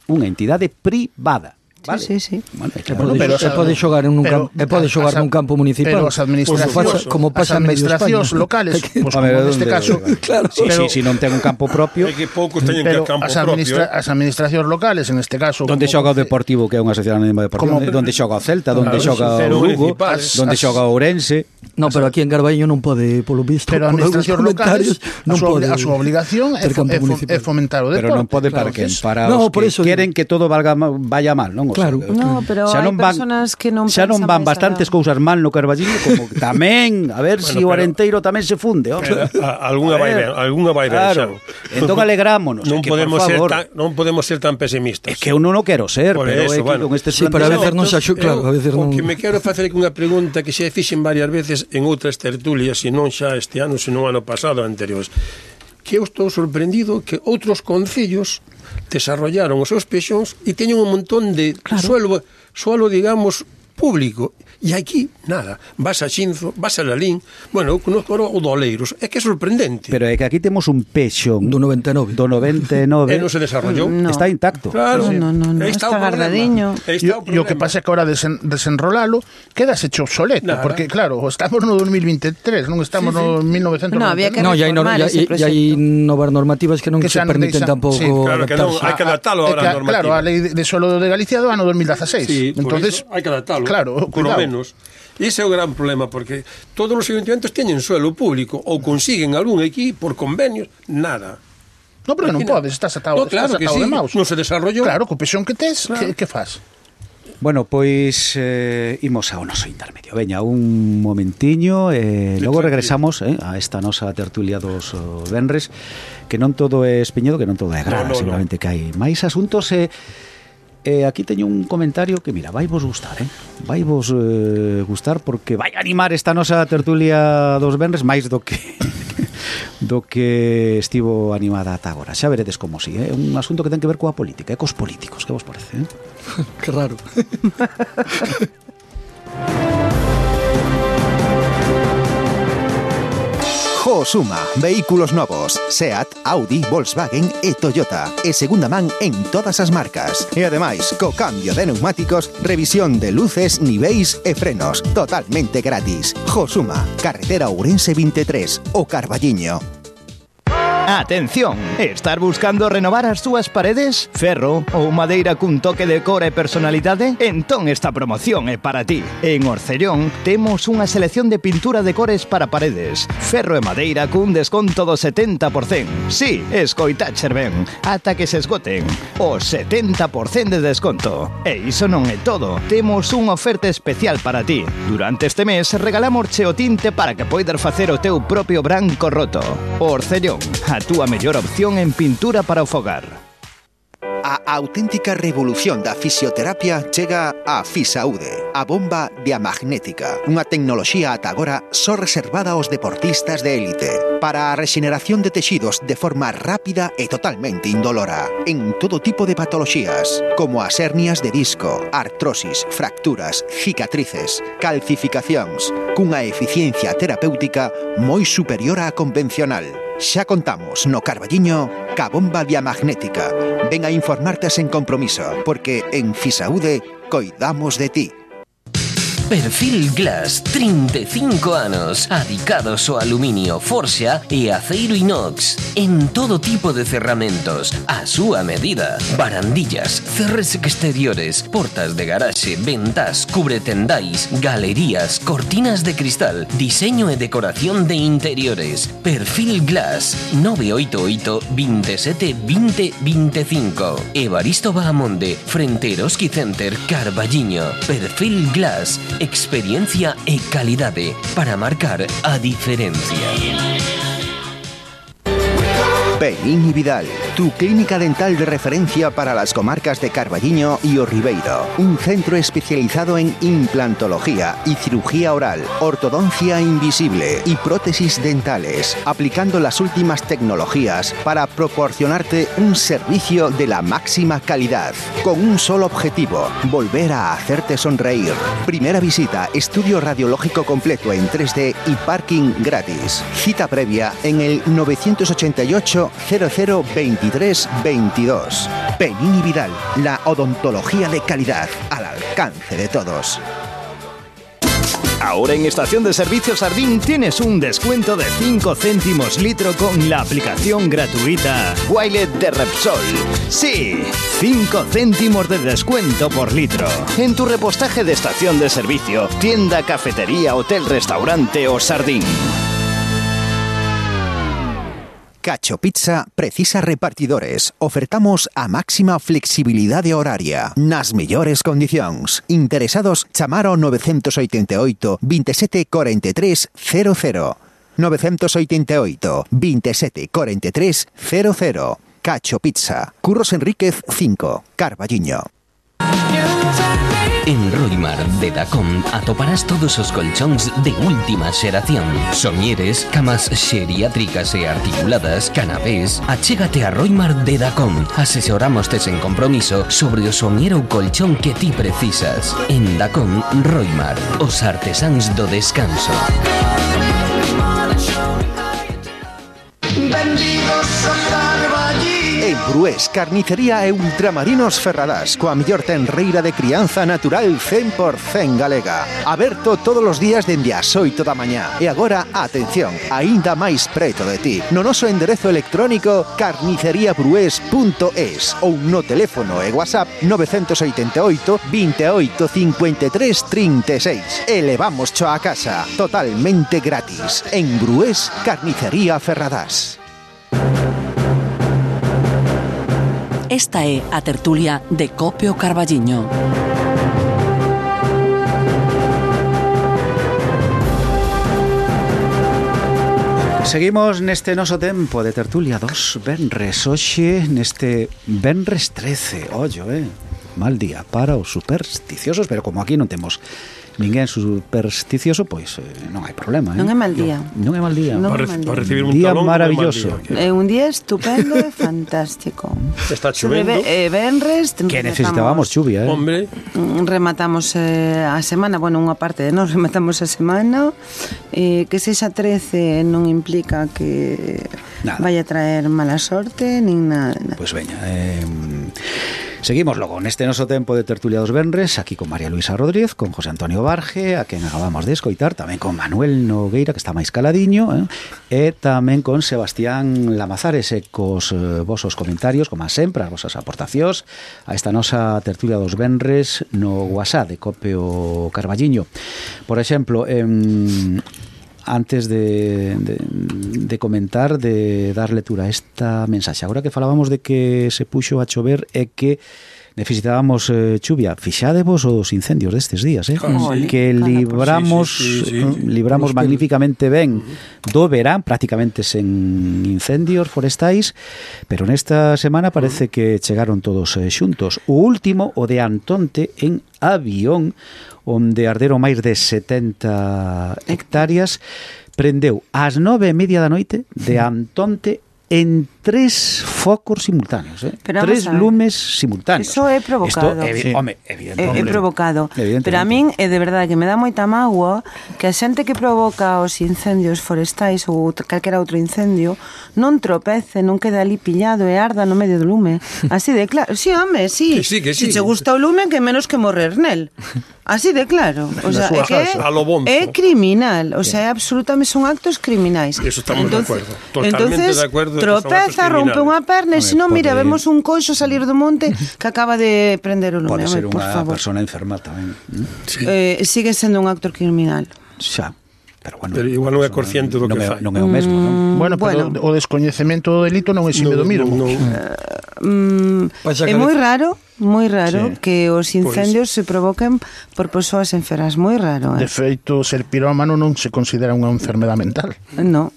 unha entidade privada. Vale? Sí, sí, sí. Bueno, é E claro. Bueno, pode, pero e as- pode xogar en un pero campo, e pode as- xogar as- nun campo municipal. pero as administracións, como pasa, como pasa as en medio administracións España. locales, pues, Home, como neste ¿dónde? caso, Claro. Sí, pero- sí, si non ten un campo propio, É que poucos teñen que pero ir campo as, propio. administra eh. as administracións locales, en este caso, Donde como- xoga o Deportivo, que é unha sociedade anónima deportiva, Como- donde xoga o Celta, donde Claro, xoga pero o Lugo, municipales. donde As- xoga o Ourense. No, pero aquí en Carballiño non pode, polo visto, pero a por algúns administracións locales, comentarios, a non súa, pode a súa obligación é, ter fo, campo é, fo, municipal. é fomentar o deporte. Pero non pode para claro. quen, para No, os por que eso queren que todo valga ma- vaya mal, non? O Claro. sea, No, pero xa hai non van, personas que non xa non pensan van máis bastantes alá. cousas mal no Carballiño como tamén, a ver Bueno, si o pero- Arenteiro tamén se funde, home. Pero, a- algunha A vai ver, ben, algunha vai ben, claro. xa. Entón alegrámonos, Non que, por podemos ser favor. tan non podemos ser tan pesimistas. É que eu non o quero ser, Por pero eso, é que bueno. con estes Sí, pero a veces non se planteamentos- axu- claro, a veces o non... que me quero facer aquí unha pregunta que xa fixen varias veces en outras tertulias, se non xa este ano, se non ano pasado anteriores. Que eu estou sorprendido que outros concellos desarrollaron os seus peixóns e teñen un montón de claro. suelo, suelo, digamos, público. E aquí, nada. Vas a Xinzo, vas a Lalín. Bueno, eu conozco o do Oleiros. É que é sorprendente. Pero é que aquí temos un peixón Do noventa e nove. do noventa e nove E non se desarrollou. No. está intacto. Claro. No, no, no, no, Aí está o problema. guardadiño. Aí E está o que problema. pasa é que ahora desen, desenrolalo quedas hecho obsoleto, Nada. porque claro, estamos no dos mil veintitrés, non estamos Sí, sí. no mil novecentos noventa e nove. No, había que No, e hai, no, reformar e, ese e hai proxecto. novas normativas que non Que se xa non permiten deixan- tampouco sí, claro que non, adaptarse. hai que adaptalo É ahora que, a normativa. claro, a lei de suelo de Galicia do ano dos mil dieciséis. Sí, por Entonces, iso hai que adaptalo. Claro, por lo cuidado. menos. E ese é o gran problema, porque todos os ayuntamientos teñen suelo público ou consiguen algún aquí por convenios, nada. No, porque non Aquí podes, estás atado, No, claro estás que atado sí, de maus. non se desarrollou. Claro, co pexón que tes, Claro. que, que faz? Bueno, pois eh, imos ao noso intermedio. Veña, un momentiño e eh, logo regresamos eh, a esta nosa tertulia dos oh, venres, que non todo é espiñedo, que non todo é grada, No, no, seguramente que hai máis asuntos e eh, aquí teño un comentario que, mira, vai vos gustar, eh? Vai vos eh, gustar porque vai animar esta nosa tertulia dos venres máis do que do que estivo animada ata agora. Xa veredes como si, é eh? un asunto que ten que ver coa política, e cos políticos, que vos parece, eh? Que raro. Jo, Josuma, vehículos novos, Seat, Audi, Volkswagen e Toyota. E segunda man en todas as marcas. E ademais, co cambio de neumáticos, revisión de luces, niveis e frenos, totalmente gratis. Josuma, carretera Ourense veintitrés, o Carballiño. Atención, estar buscando renovar as túas paredes? Ferro ou madeira cun toque de cor e personalidade? Entón esta promoción é para ti. En Orcellón temos unha selección de pintura de cores para paredes. Ferro e madeira cun desconto do setenta por cento. Sí, escoitacher ben, ata que se esgoten. O setenta por cento de desconto. E iso non é todo. Temos unha oferta especial para ti. Durante este mes regalamos o tinte para que poidas facer o teu propio branco roto. Orcellón, a túa mellor opción en pintura para o fogar. A auténtica revolución da fisioterapia chega a Fisaude, a bomba diamagnética, unha tecnoloxía ata agora só reservada aos deportistas de élite, para a rexeneración de texidos de forma rápida e totalmente indolora, en todo tipo de patoloxías, como as hernias de disco, artrosis, fracturas, cicatrices, calcificacións, cunha eficiencia terapéutica moi superior á convencional. Xa contamos no Carballiño ca bomba diamagnética. Ven a informarte sen compromiso, porque en Fisaude coidamos de ti. Perfil Glass, trinta e cinco anos, adicados ao aluminio, forxa e aceiro inox, en todo tipo de cerramentos, a súa medida. Barandillas, cerres exteriores, portas de garaxe, ventas, cubretendais, galerías, cortinas de cristal, diseño e decoración de interiores. Perfil Glass, nove oito oito, veintisiete, veinte, veinticinco. Evaristo Bahamonde, frente Eroski Center, Carballiño. Perfil Glass, experiencia e calidade para marcar a diferencia. Peín y Vidal, tu clínica dental de referencia para las comarcas de Carballiño y O Ribeiro. Un centro especializado en implantología y cirugía oral, ortodoncia invisible y prótesis dentales, aplicando las últimas tecnologías para proporcionarte un servicio de la máxima calidad, con un solo objetivo: volver a hacerte sonreír. Primera visita, estudio radiológico completo en tres D y parking gratis. Cita previa en el novecientos ochenta y ocho cero cero veintitrés veintidós. Peín y Vidal, la odontología de calidad al alcance de todos. Ahora en Estación de Servicios Sardín tienes un descuento de cinco céntimos litro con la aplicación gratuita Wilet de Repsol. Sí, cinco céntimos de descuento por litro. En tu repostaje de estación de servicio, tienda, cafetería, hotel, restaurante o Sardín. Cacho Pizza precisa repartidores. Ofertamos a máxima flexibilidade horaria, nas mellores condicións. Interesados, chamar ao novecientos oitenta e oito, veintisiete, cuarenta e tres, cero cero. novecientos oitenta e oito, veintisiete, cuarenta e tres, cero cero. Cacho Pizza. Curros Enríquez cinco, Carballiño. En Roimar de Dacom atoparás todos os colchóns de última xeración. Soñeres, camas xeriátricas e articuladas, canapés. Achégate a Roimar de Dacom. Asesoramoste sen compromiso sobre o soñer ou colchón que ti precisas. En Dacom, Roimar, os artesáns do descanso. Benvidos a Carballiño. En Brués, carnicería e ultramarinos Ferradás, coa mellor tenreira de crianza natural cen por cento galega. Aberto todos os días dende as oito da mañá. E agora, atención, aínda máis preto de ti, no noso enderezo electrónico carnicería brués punto es ou no teléfono e WhatsApp novecientos oitenta e oito, veintiocho, cincuenta e tres, trinta e seis. E levamos cho a casa, totalmente gratis. En Brués, carnicería Ferradás. Esta é a tertulia de Cope o Carballiño. Seguimos neste noso tempo de tertulia dos venres. Hoxe neste venres trece, ollo, eh? mal día para os supersticiosos, pero como aquí non temos ninguén supersticioso, pois eh, non hai problema, eh? Non é mal día. Non, non é mal día. Non Para, é mal día. para recibir un Día talón maravilloso. É un día estupendo e fantástico. Está Sobre chovendo. ve- eh, venres Que necesitábamos chuvia, eh? Hombre, Mm, rematamos eh, a semana, bueno, unha parte de nós rematamos a semana, eh, que sexa trece non implica que Nada. vaya a traer mala sorte nin nada, nada. Pois veña, eh, seguimos logo neste noso tempo de tertulia dos venres, aquí con María Luisa Rodríguez, con José Antonio Barge, a quen acabamos de escoitar, tamén con Manuel Nogueira, que está máis caladiño, eh, e tamén con Sebastián Lamazares, e cos eh, vosos comentarios, como sempre, as vosas aportacións a esta nosa tertulia dos venres no WhatsApp de Copio Carballiño. Por exemplo, em, antes de, de, de comentar, de dar lectura a esta mensaxe, agora que falábamos de que se puxo a chover e que necesitábamos eh, chuvia, fixadevos os incendios destes días, eh? Claro, sí. Que libramos Sí, sí, sí, sí, eh, sí. libramos Prosper- magníficamente ben do verán, prácticamente sen incendios forestais, pero nesta semana parece que chegaron todos eh, xuntos. O último, o de Antonte, en Avión, onde arderon máis de setenta hectáreas, prendeu ás nove e media da noite de Antonte en tres focos simultáneos, eh? Pero vamos tres a ver. lumes simultáneos. Eso é provocado. Esto, evi Sí. home, É, evidentemente. é provocado. Evidentemente. Pero a min é de verdade que me dá moita mágoa que a xente que provoca os incendios forestais ou outro- calquera outro incendio non tropece, non quede ali pillado e arda no medio do lume. Así de claro. Sí, home, sí. Que sí, que sí. Si che gusta o lume, que menos que morrer nel. Así de claro. O sea, é súa que casa, a lo bonzo. é criminal. O sea, é absolutamente son actos criminais. Eso estamos de acuerdo. Totalmente entonces, de acuerdo de que son actos tropeza, rompe criminales. unha perna e Home, se non, mira, pode- vemos un coixo salir do monte que acaba de prender o lume. Pode Home, ser por unha favor. persona enferma tamén. ¿Mm? Sí. Eh, sigue sendo un acto criminal. Xa. Pero bueno, Pero igual non é consciente do non que é, fai. non é o mesmo, non? Bueno, pero Bueno. o descoñecemento do delito non exime do mismo. non, non. Mm, Pasa é que- moi raro, moi raro Sí. que os incendios se provoquen por persoas enfermas, moi raro, De eh? feito, ser pirómano non se considera unha enfermedade mental. No.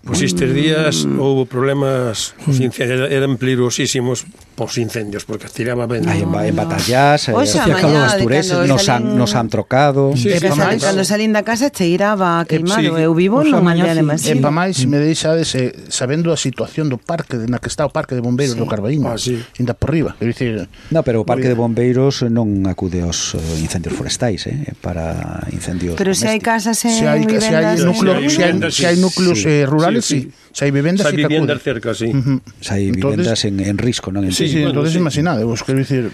Pois estes días houve problemas, os incendios eran peligrosísimos pos incendios, porque tiraba ben. Hai en, ba- en batallas, eh, Oxe, hacía a calor mañá as de tureses, cando nos han, salen- nos han trocado. Sí, E sí, que pa salen, máis. cando salín da casa cheiraba queimado. sí. Eu vivo Oxa, nunha mañá aldea de sí. Masí. E pa máis me deixades eh, sabendo a situación do parque de- na que está o parque de bombeiros Sí. do Carballiño, Ah, sí. inda por riba, é dicir, No, pero o Parque de Bombeiros non acude aos eh, incendios forestais, eh, para incendios Pero se hai domésticos. casas en se hai se hai vivendas... núcleo, Sí, se hai, vivendas, se hai sí. núcleos Sí. eh, rurales, Sí, sí. sí. Se hai vivendas, Hai sí que viviendas acuden. cerca, sí. Ujú. Se hai Entonces- vivendas en, en risco, non en Sí, sí, bueno, entonces sí. imaginade, vos quero dicir,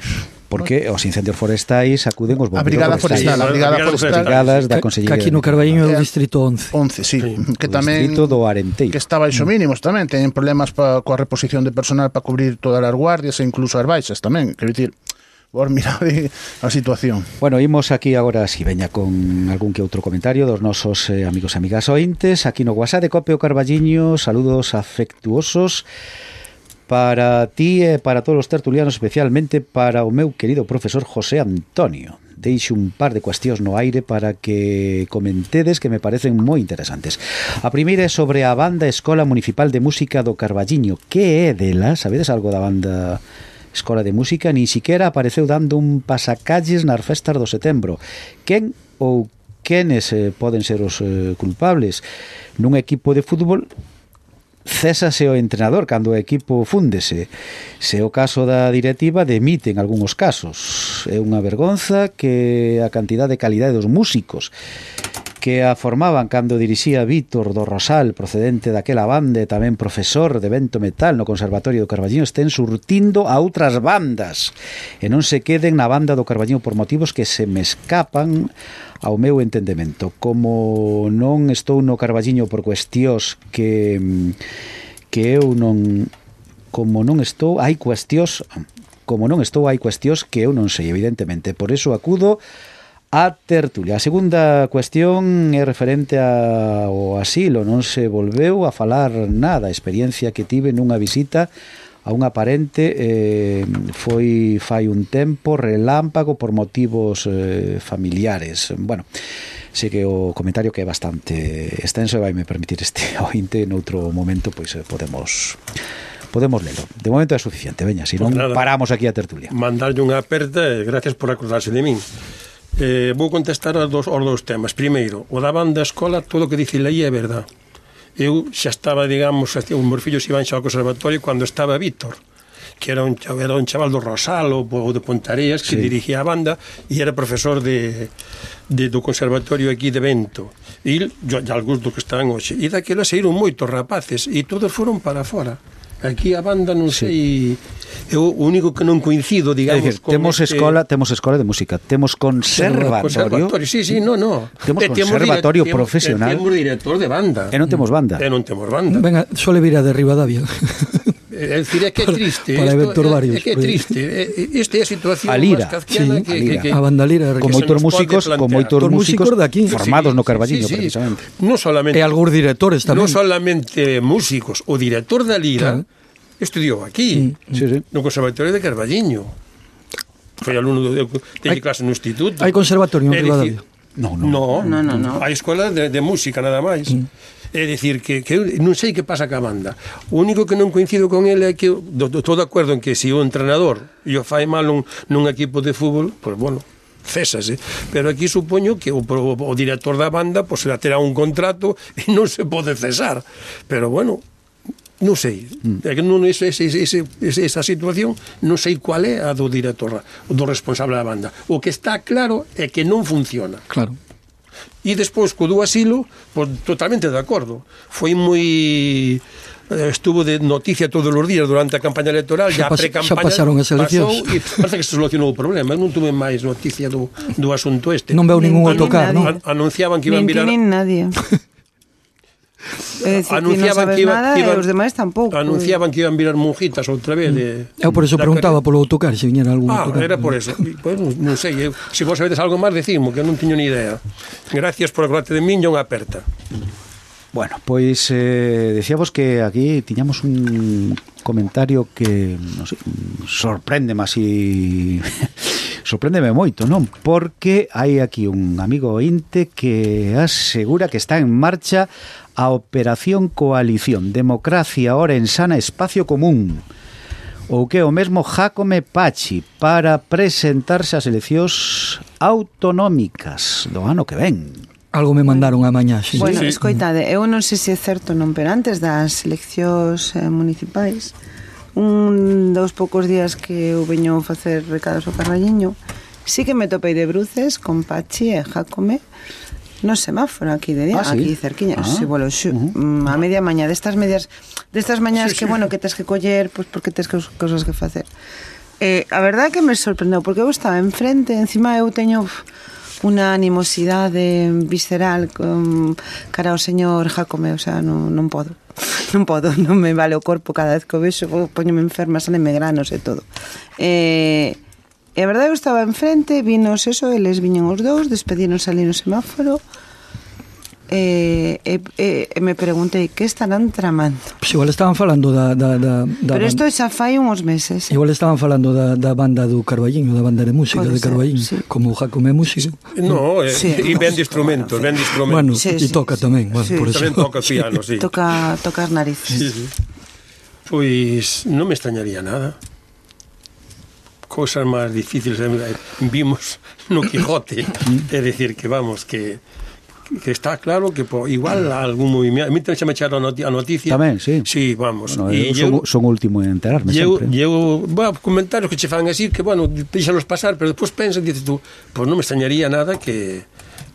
porque os incendios forestais acuden os a bombeiros Brigada forestais. Forestal, a Sí, Brigada a Brigada Forestal, Brigadas da Que, que Consellería. aquí no Carballiño é o Eh, distrito once. once, sí, Sí. que O tamén distrito do Arenteiro. que está baixo mínimos tamén, teñen problemas pa, coa reposición de personal para cubrir todas as guardias e incluso as baixas tamén, quero dicir, vos mirade a situación. Bueno, imos aquí agora si veña con algún que outro comentario dos nosos eh, amigos e amigas ointes aquí no WhatsApp de Copio Carballiño. Saludos afectuosos para ti e para todos os tertulianos, especialmente para o meu querido profesor José Antonio. Deixo un par de cuestións no aire para que comentedes que me parecen moi interesantes. A primeira é sobre a Banda Escola Municipal de Música do Carballiño. Que é dela? Sabedes algo da banda Escola de Música? Ni siquiera apareceu dando un pasacalles nas festas do setembro. Quen ou quenes eh, poden ser os eh, culpables? Nun equipo de fútbol césase o entrenador cando o equipo fúndese. Se o caso da directiva, demiten algúns casos. É unha vergonza que a cantidad de calidade dos músicos que a formaban cando dirixía Vítor do Rosal, procedente daquela banda e tamén profesor de vento metal no Conservatorio do Carballiño, estén surtindo a outras bandas e non se queden na banda do Carballiño por motivos que se me escapan ao meu entendemento. Como non estou no Carballiño por cuestións que que eu non como non estou, hai cuestións como non estou, hai cuestións que eu non sei, evidentemente. Por eso acudo a tertulia. A segunda cuestión é referente ao asilo. Non se volveu a falar nada. A experiencia que tive nunha visita a unha parente eh, foi fai un tempo relámpago por motivos eh, familiares. Bueno, sei que o comentario que é bastante extenso e vai me permitir este ointe noutro momento, pois eh, podemos podemos lelo. De momento é suficiente, veña, se non Pues nada, paramos aquí a tertulia. Mandarlle unha aperta e gracias por acordarse de min. Eh, vou contestar aos dos, aos dous temas. Primeiro, o da banda escola, todo o que dice aí é verdad. Eu xa estaba, digamos, os meus fillos iban xa ao conservatorio cando estaba Víctor, que era un, era un chaval do Rosal ou de Pontareas, que sí. dirigía a banda e era profesor de, de, do conservatorio aquí de Vento. E yo, ya algúns do que estaban hoxe. E daquela saíron moitos rapaces e todos foron para fora. Aquí a banda non sei, é o único que non coincido, digamos, decir, temos este... escola, temos escola de música, temos conservatorio. Conservatorio, sí, sí, no, no. Temos conservatorio temos, profesional. Temos director de banda. E non temos banda. E non temos banda. Venga, sole vir a de Rivadavia. É dicir, é que é triste. Para eventos varios. É que é triste. Esta é a situación a lira, máis kafkiana sí, que, a, lira. que, que... a banda lira. Con moitos músicos, con moitos músicos daqui. formados sí, no Carballiño, sí, sí, precisamente. Non solamente... E algúns directores tamén. Non solamente músicos, o director da lira... Claro. Estudiou aquí, mm, sí, sí. no Conservatorio de Carballiño. Foi alumno, de, teñe clase no instituto. Hai conservatorio en Rivadavia? No, no. No, no, no, no. Hai escola de, de música nada máis. Mm. É dicir, que, que non sei que pasa ca banda. O único que non coincido con ele é que estou de acordo en que se o entrenador e o fai mal nun, nun equipo de fútbol, pois, pues, bueno, césase. Pero aquí supoño que o, o, o director da banda pois, pues, terá un contrato e non se pode cesar. Pero, bueno... Non sei, é que non ese, ese, ese, esa situación non sei cual é a do director, do responsable da banda. O que está claro é que non funciona. Claro. E despois, co do asilo, pues, totalmente de acordo. Foi moi... estuvo de noticia todos os días durante a campaña electoral, xa, a pre-campaña xa pasaron as eleccións e parece que se solucionou o problema. Non tuve máis noticia do, do asunto este. Non veo ningún autocar, non? Anunciaban que iban virar... Nin nadie. É dicir, anunciaban que, non sabes que iba, nada, e os demais tampouco. Anunciaban que iban virar monjitas outra vez de, eu por eso preguntaba polo autocar, se viñera algún ah, autocar. era por eso. Pues, non sei, eu, se vos sabedes algo máis decimo, que non teño ni idea. Gracias por acordarte de min, unha aperta. Bueno, pois eh, decíamos que aquí tiñamos un comentario que, non sei, sorpréndeme así... sorpréndeme moito, non? Porque hai aquí un amigo ointe que asegura que está en marcha a Operación Coalición Democracia Orensana Espacio Común, ou que o mesmo Jácome Pachi, para presentarse ás eleccións autonómicas do ano que ven. Algo me mandaron a mañá, sí. Bueno, sí. escoitade, eu non sei se é certo non, pero antes das eleccións eh, municipais, un dos poucos días que eu veño a facer recados ao Carballiño, sí que me topei de bruces con Pachi e Jácome no semáforo aquí de día, ah, ¿sí? Aquí cerquiña, ah, sí, bueno, xu, uh-huh. a media mañá destas medias, destas mañás sí, que sí. Bueno, que tes que coller, pues porque tes que cosas que facer. Eh, a verdade que me sorprendeu porque eu estaba enfrente, encima eu teño unha animosidade visceral con cara ao señor Jácome, o sea, non, non podo. Non podo, non me vale o corpo cada vez que o vexo, poñome enferma, salen megranos e todo. Eh, e a verdade eu estaba enfrente, vinos eso, eles viñen os dous, despedínos ali no semáforo, e, e, e me preguntei que estarán tramando. Pues igual estaban falando da, da, da, da pero isto xa fai uns meses. Igual estaban falando da, da banda do Carballiño, da banda de música pode de Carballiño, sí. Como o Jácome é músico. No, e sí, eh, ben de instrumentos, ben de instrumentos. Bueno, sí, e sí, toca sí, tamén, bueno, sí. por eso. Tamén toca piano, sí. Toca tocar narices. Sí, sí. Pois non me extrañaría nada. Cousas máis difíciles vimos no Quijote, é dicir que vamos, que que está claro que po, igual algún movimiento. A mí tamén se me echaron a noticia. Tamén, sí. Sí, vamos. Bueno, e eu eu, son, son último en enterarme eu, sempre. Eu, bueno, comentarios que che fan así, que, bueno, deixalos pasar, pero despois pensas, dices tú, pues non me extrañaría nada que,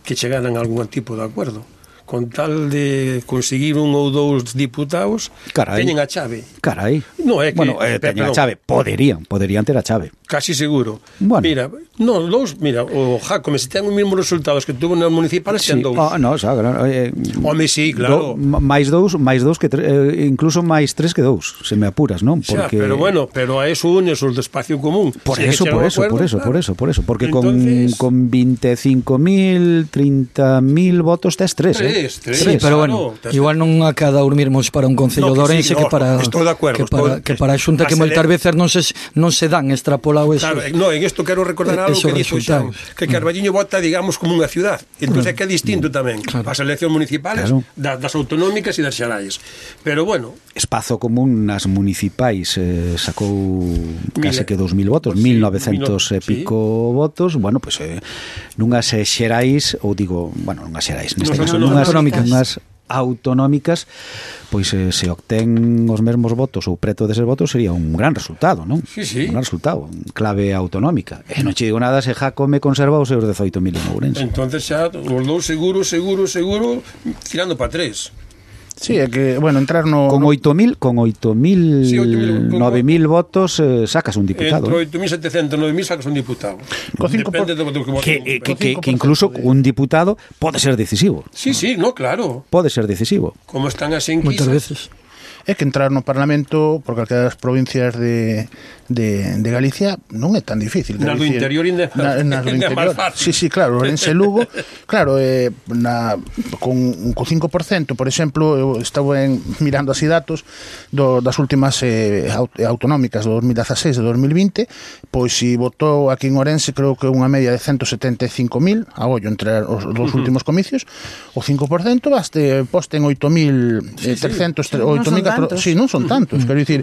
que chegaran a algún tipo de acuerdo. Con tal de conseguir un ou dous diputados, carai, teñen a chave. Carai. No, é que, bueno, eh, teñen a chave. Poderían, poderían ter a chave. Casi seguro. Bueno. Mira, no, dous, mira, o Jácome, se ten os mesmos resultados que tuvo nas municipales, sí. ten dous. Ah, no, xa, claro. Eh, Home, sí, claro. Do, máis dous, máis dous que tre, eh, incluso máis tres que dous, se me apuras, non? Porque xa, pero bueno, pero a eso unes os de espacio común. Por si eso, por eso, acuerdo, por eso, claro. por eso, por eso, porque entonces, con con veinticinco mil, treinta mil votos tes tres, eh. Tres, tres. Sí, pero bueno, claro, igual non acada dormirmos para un concello No, de que Ourense sí, que no, para estou de acuerdo, que para, estou- que para a Xunta que a moitas sele- veces non se non se dan extrapolado eso. Claro, no, en isto quero recordar algo Esos que dixo Xan, resultados. que Carballiño vota, digamos, como unha ciudad. Entón é que é distinto tamén. Claro. As eleccións municipales, Claro. da- das autonómicas e das xerais. Pero bueno, Espazo Común nas municipais eh, sacou case Mil- que dous mil votos, sí, mil novecentos e sí. pico votos. Bueno, pois pues, eh, nunhas eh, xerais, ou digo, bueno, nunhas xerais, neste Nos caso, autonómicas. nunhas Autonómicas. nunhas autonómicas, pois eh, se obtén os mesmos votos ou preto deses votos sería un gran resultado, non? Sí, sí. Un gran resultado, un clave autonómica. E non che digo nada se Jacome conserva os seus dezoito mil en Ourense. entonces xa os dous seguro, seguro, seguro, tirando para tres. Sí, é que, bueno, entrar no... Con no- oito mil, con oito mil, Sí, oito mil, con- nove mil votos eh, sacas un diputado. Entre eh. oito mil setecentos e nove mil sacas un diputado. Co cinco por- Depende do, do que voten. que, eh, que, que, cinco por que incluso ciento de- un diputado pode ser decisivo. Sí, sí, no, claro. Pode ser decisivo. Como están as Moitas enquisas. veces. É que entrar no Parlamento por calquera das provincias de, de, de Galicia non é tan difícil. Nas do quero dicir, interior ainda é na, nas do ainda é máis interior. fácil. Sí, sí, claro, Ourense e Lugo, claro, eh, na, con co cinco por ciento, por exemplo, eu estaba en, mirando así datos do, das últimas eh, aut, autonómicas do dos mil dezaseis e do dos mil vinte, pois si votou aquí en Ourense creo que unha media de ciento setenta e cinco mil a ollo entre os dos últimos comicios, o cinco por ciento baste posten oito mil trescentos, Non son tantos. sí, non son tantos, quero dicir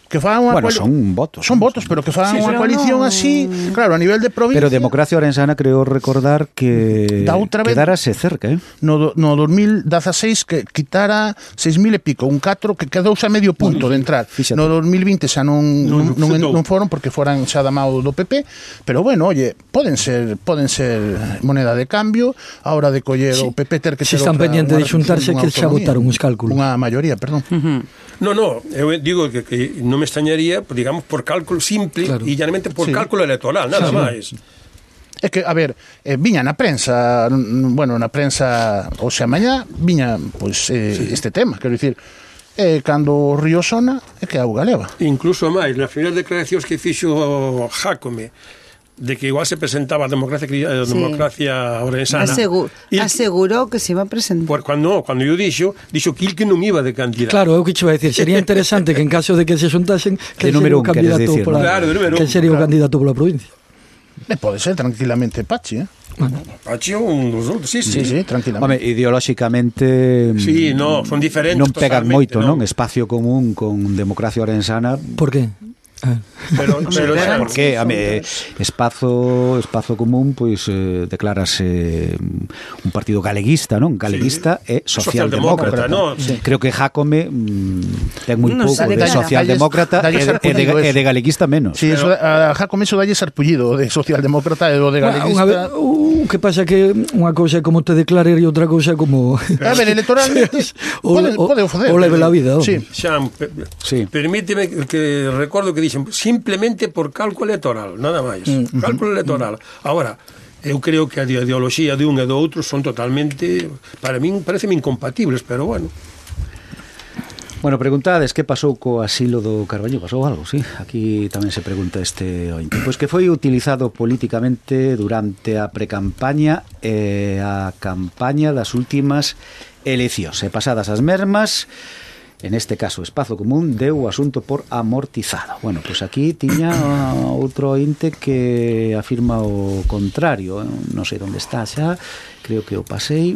que fan unha Bueno, coali- son votos. son votos, pero que fan Sí, unha pero coalición non- así, claro, a nivel de provincia. Pero Democracia Orensana creo recordar que Da outra vez- quedárase cerca, eh? no, do- no dos mil dezaseis que quitara seis mil e pico, un catro que quedouse a medio punto de entrar. Fíxate. No dos mil vinte xa non non, Non non, sentou. non foron porque foran xa da mao do P P, pero bueno, oye, poden ser poden ser moneda de cambio a hora de coller Sí. o P P ter que Si ter están outra- pendientes de unha xuntarse, unha que xa autonomía. votaron os cálculos. Unha maioría, perdón. No, no, eu digo que, que non me extrañaría, digamos, por cálculo simple Claro. e llanamente por Sí. cálculo electoral, nada máis. É que, a ver, eh, viña na prensa, n- bueno, na prensa, o sea, mañá, viña, pois, eh, sí. este tema, quero dicir, eh, cando o río sona, é que a auga leva. Incluso máis, nas primeiras declaracións que fixo Jacome, de que igual se presentaba a democracia, cri- a Sí. democracia orensana. Asegu Il- asegurou que se iba a presentar. por, cuando, cuando yo dixo, dixo que il que non iba de candidato. Claro, eu que che iba a decir, sería interesante que en caso de que se xuntasen, que De sería número o un, queres candidato decir, pola, ¿no? Claro, de número que un, sería o claro. candidato pola provincia. E pode ser tranquilamente Pachi, eh? Pachi un dos outros, sí, sí. Sí, sí, tranquilamente. Home, ideolóxicamente Sí, no, son diferentes non pegan totalmente, moito, non. non? Espacio común con Democracia Orensana. Por qué? Ah. Pero, pero xa, Porque a me, espazo espazo común pois eh, declárase mm, un partido galeguista, non? Galeguista sí. e socialdemócrata. Socialdemócrata, no? Sí. Creo que Jacome mm, ten moi Non pouco sabe de nada. socialdemócrata Dalle- e, dalle de, e, de, sarpullido e eso. de galeguista menos. Sí, eso, a Jacome iso dalle sarpullido de socialdemócrata e do de Bueno, unha vez, galeguista. o que pasa que unha cousa é como te declarar e outra cousa é como A ver, electoralmente o, pode, o, pode o facer. o leve la vida. Sí. home. Xan, pe- Sí. permíteme que recordo que dixen simplemente por cálculo electoral, nada máis. Mm, Cálculo electoral. Ahora, eu creo que a ideoloxía de un e do outro son totalmente, para min, pareceme incompatibles, pero bueno. Bueno, preguntades que pasou co asilo do Carballo, pasou algo, sí? Aquí tamén se pregunta este ointe. Pois que foi utilizado políticamente durante a precampaña e a campaña das últimas eleccións. E pasadas as mesmas, en este caso Espazo Común deu o asunto por amortizado. Bueno, pois aquí tiña outro ointe que afirma o contrario, non sei onde está xa, creo que o pasei.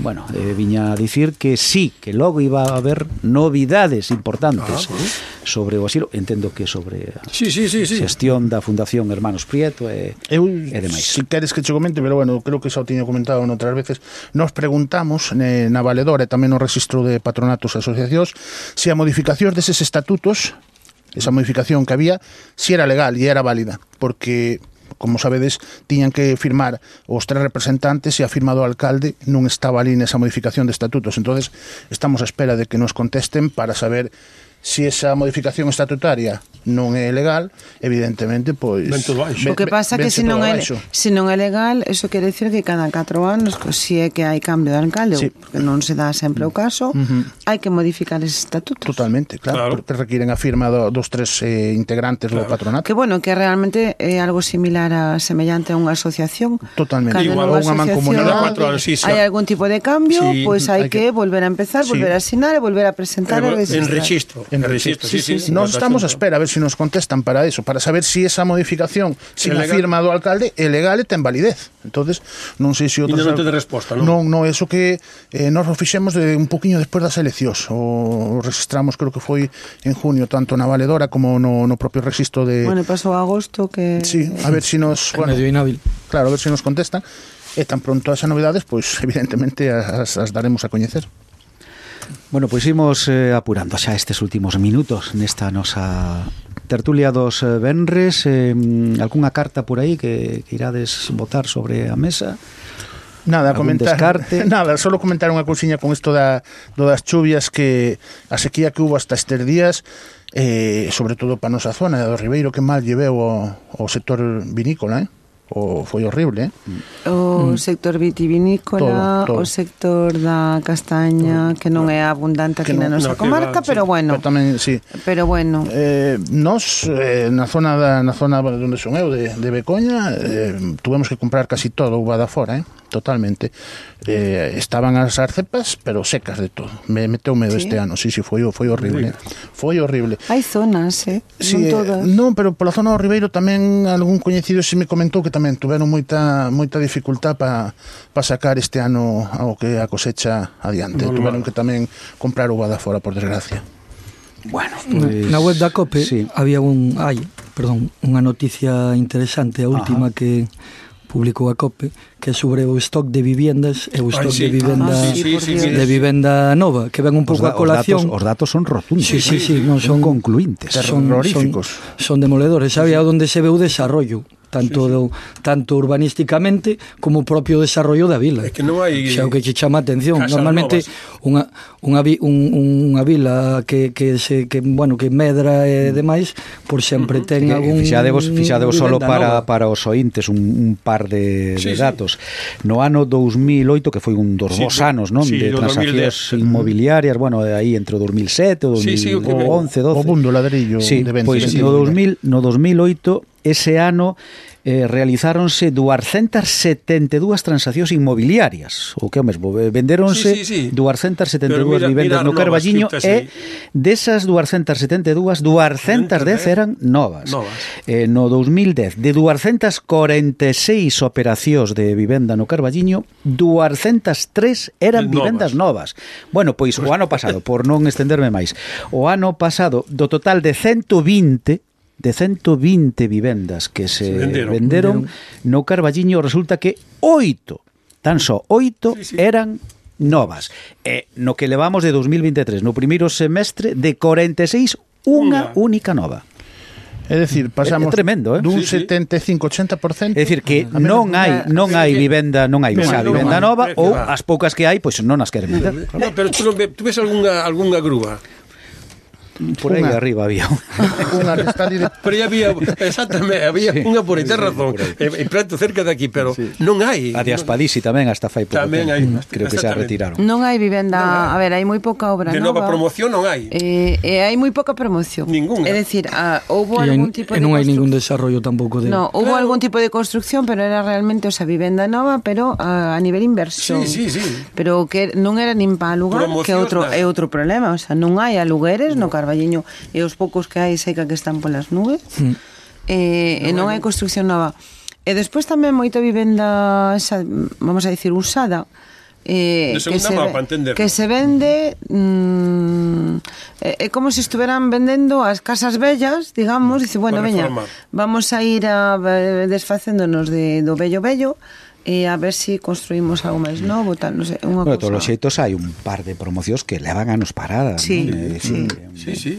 Bueno, eh, viña a dicir que sí, que logo iba a haber novidades importantes Ah, sobre o asilo, entendo que sobre a Sí, sí, sí, sí. xestión da Fundación Hermanos Prieto e, Eu, e demais. si queres que che comente, pero bueno, creo que xa o tiño comentado noutras veces, nos preguntamos eh, na Valedora e tamén no registro de patronatos e asociacións se a modificación deses estatutos, esa modificación que había, si era legal e era válida, porque como sabedes, tiñan que firmar os tres representantes e a firma do alcalde non estaba ali nesa modificación de estatutos. Entonces, estamos á espera de que nos contesten para saber si esa modificación estatutaria non é legal, evidentemente, pois... Ven todo baixo. O que pasa que se non, é, se non é legal, eso quere decir que cada catro anos, se é que hai cambio de alcalde, sí. porque non se dá sempre o caso, uh-huh. hai que modificar ese estatuto. Totalmente, claro, claro. porque requiren a firma do, dos tres eh, integrantes claro. do patronato. Que bueno, que realmente é algo similar a semellante a unha asociación. Totalmente. Igual a unha mancomunidade. Hai algún tipo de cambio, sí. pois pues hai que, que volver a empezar, sí. volver a asinar e volver a presentar en, e registrar. En registro. En registro, sí, sí. sí, sí. Nos estamos a espera a ver se si nos contestan para eso, para saber si esa modificación sin a firma do alcalde é legal e ten validez. Entonces, non sei se outros... E non ten resposta, non? Non, non, eso que eh, nos o fixemos de un poquinho despois das eleccións. O, o registramos, creo que foi en junio, tanto na valedora como no, no propio registro de... Bueno, pasou agosto que... Sí, a ver si nos... Bueno, medio inhábil. Claro, a ver si nos contestan. E tan pronto as novedades, pois, evidentemente, as, as daremos a coñecer. Bueno, pois imos eh, apurando xa estes últimos minutos nesta nosa tertulia dos eh, venres. Eh, algunha carta por aí que, que irades botar sobre a mesa? Nada, comentar, descarte? Nada, solo comentar unha cousiña con isto da, do das chuvias, que a sequía que hubo hasta estes días, eh, sobre todo para a nosa zona do Ribeiro, que mal lleveu o, o sector vinícola, eh? O foi horrible, eh? O sector vitivinícola, todo, todo. O sector da castaña, todo. Que non é abundante aquí no, na nosa no, comarca, va, pero sí. bueno. Pero tamén, sí. Pero bueno. Eh, nos eh, na zona da na zona onde son eu de, de Becoña, eh, tuvemos que comprar casi todo uva da fora, eh? Totalmente. Eh, estaban as arcepas, pero secas de todo. Me meteu medo ¿Sí? este ano. Sí, sí, foi foi horrible. Foi horrible. Hai zonas, eh? Sí, non todas. Eh, non, pero pola zona do Ribeiro tamén algún coñecido se me comentou que tamén tuveron moita moita dificultad para pa sacar este ano ao que a cosecha adiante. Normal. Tuveron que tamén comprar uva da fora, por desgracia. Bueno, pues, na web da COPE sí. había un hai, perdón, unha noticia interesante, a última Ajá. que publicou a COPE, que é sobre o stock de viviendas e o stock Ay, sí. de vivenda ah, sí, sí, sí, de vivenda nova, que ven un pouco a colación. Os datos, os datos son rotundos. Sí, sí, sí, non son concluintes, son terroríficos. Son, son demoledores. Sabía sí. onde se ve o desarrollo, tanto sí, sí. Do, tanto urbanísticamente como o propio desarrollo da vila. É que non hai xa o que che chama a atención. Normalmente unha unha vi, un, unha vila que que se que bueno, que medra e demais, por sempre uh-huh. ten algún fixadevos fixadevos solo para nova. Para os ointes un, un par de, sí, de datos. Sí. No ano dous mil oito, que foi un dos sí, bons anos, non, sí, de transaccións inmobiliarias, bueno, aí entre o dos mil sete o dos mil once, doce. O mundo ladrillo sí, de venta. Pois sí, no dos mil, no dos mil oito ese ano eh, realizáronse duascentas setenta e dúas transaccións inmobiliarias, o que é o mesmo, venderonse sí, sí, sí. duascentas setenta e dúas vivendas no Carballiño e desas duascentas setenta e dúas, duascentas dez eran novas. novas. Eh, no dos mil dez, de duascentas corenta e seis operacións de vivenda no Carballiño, duascentas tres eran novas. Vivendas novas. Bueno, pois o ano pasado, por non estenderme máis, o ano pasado, do total de ciento vinte de ciento vinte vivendas que se, se venderon, venderon no Carballiño, resulta que oito, tan só oito sí, sí. eran novas. E no que levamos de dos mil veintitrés, no primeiro semestre, de corenta e seis, unha única nova. É dicir, pasamos é tremendo, eh? dun sí, setenta e cinco a ochenta por cento. É dicir, que non hai non hai vivenda, non hai xa vivenda nova, ou as poucas que hai, pois non as queren vender. No, pero tú, tú ves algunha algunha grúa por aí una. Arriba había unha que está dire... pero había, exactamente, había sí, unha por aí, ten razón, en prato cerca de aquí, pero sí. non hai. A de Aspadisi tamén hasta fai pouco tamén tempo. Hai, creo que se retiraron. Non hai vivenda, non hai. A ver, hai moi pouca obra de nova. De nova promoción non hai. E eh, eh, hai moi pouca promoción. Ninguna. É dicir, ah, houbo algún tipo de... E non hai ningún desarrollo tampouco de... No, houbo claro. algún tipo de construcción, pero era realmente, o sea, vivenda nova, pero a, a nivel inversión. Sí, sí, sí. Pero que non era nin para alugar, promoción, que é outro, é outro problema, o sea, non hai alugueres no, no Carballiño, e os poucos que hai seca que están polas nubes mm. e, no, e non hai construcción nova e despois tamén moita vivenda xa, vamos a dicir usada eh, que, se, que se vende mm, é, é como se estuveran vendendo as casas bellas, digamos, dice, bueno, veña, vamos a ir a, desfacéndonos de, do bello bello e a ver se si construímos algo máis novo, tal, non sei, unha bueno, cousa. Todos os xeitos hai un par de promocións que levan anos paradas, sí, non? Eh, sí, sí, sí.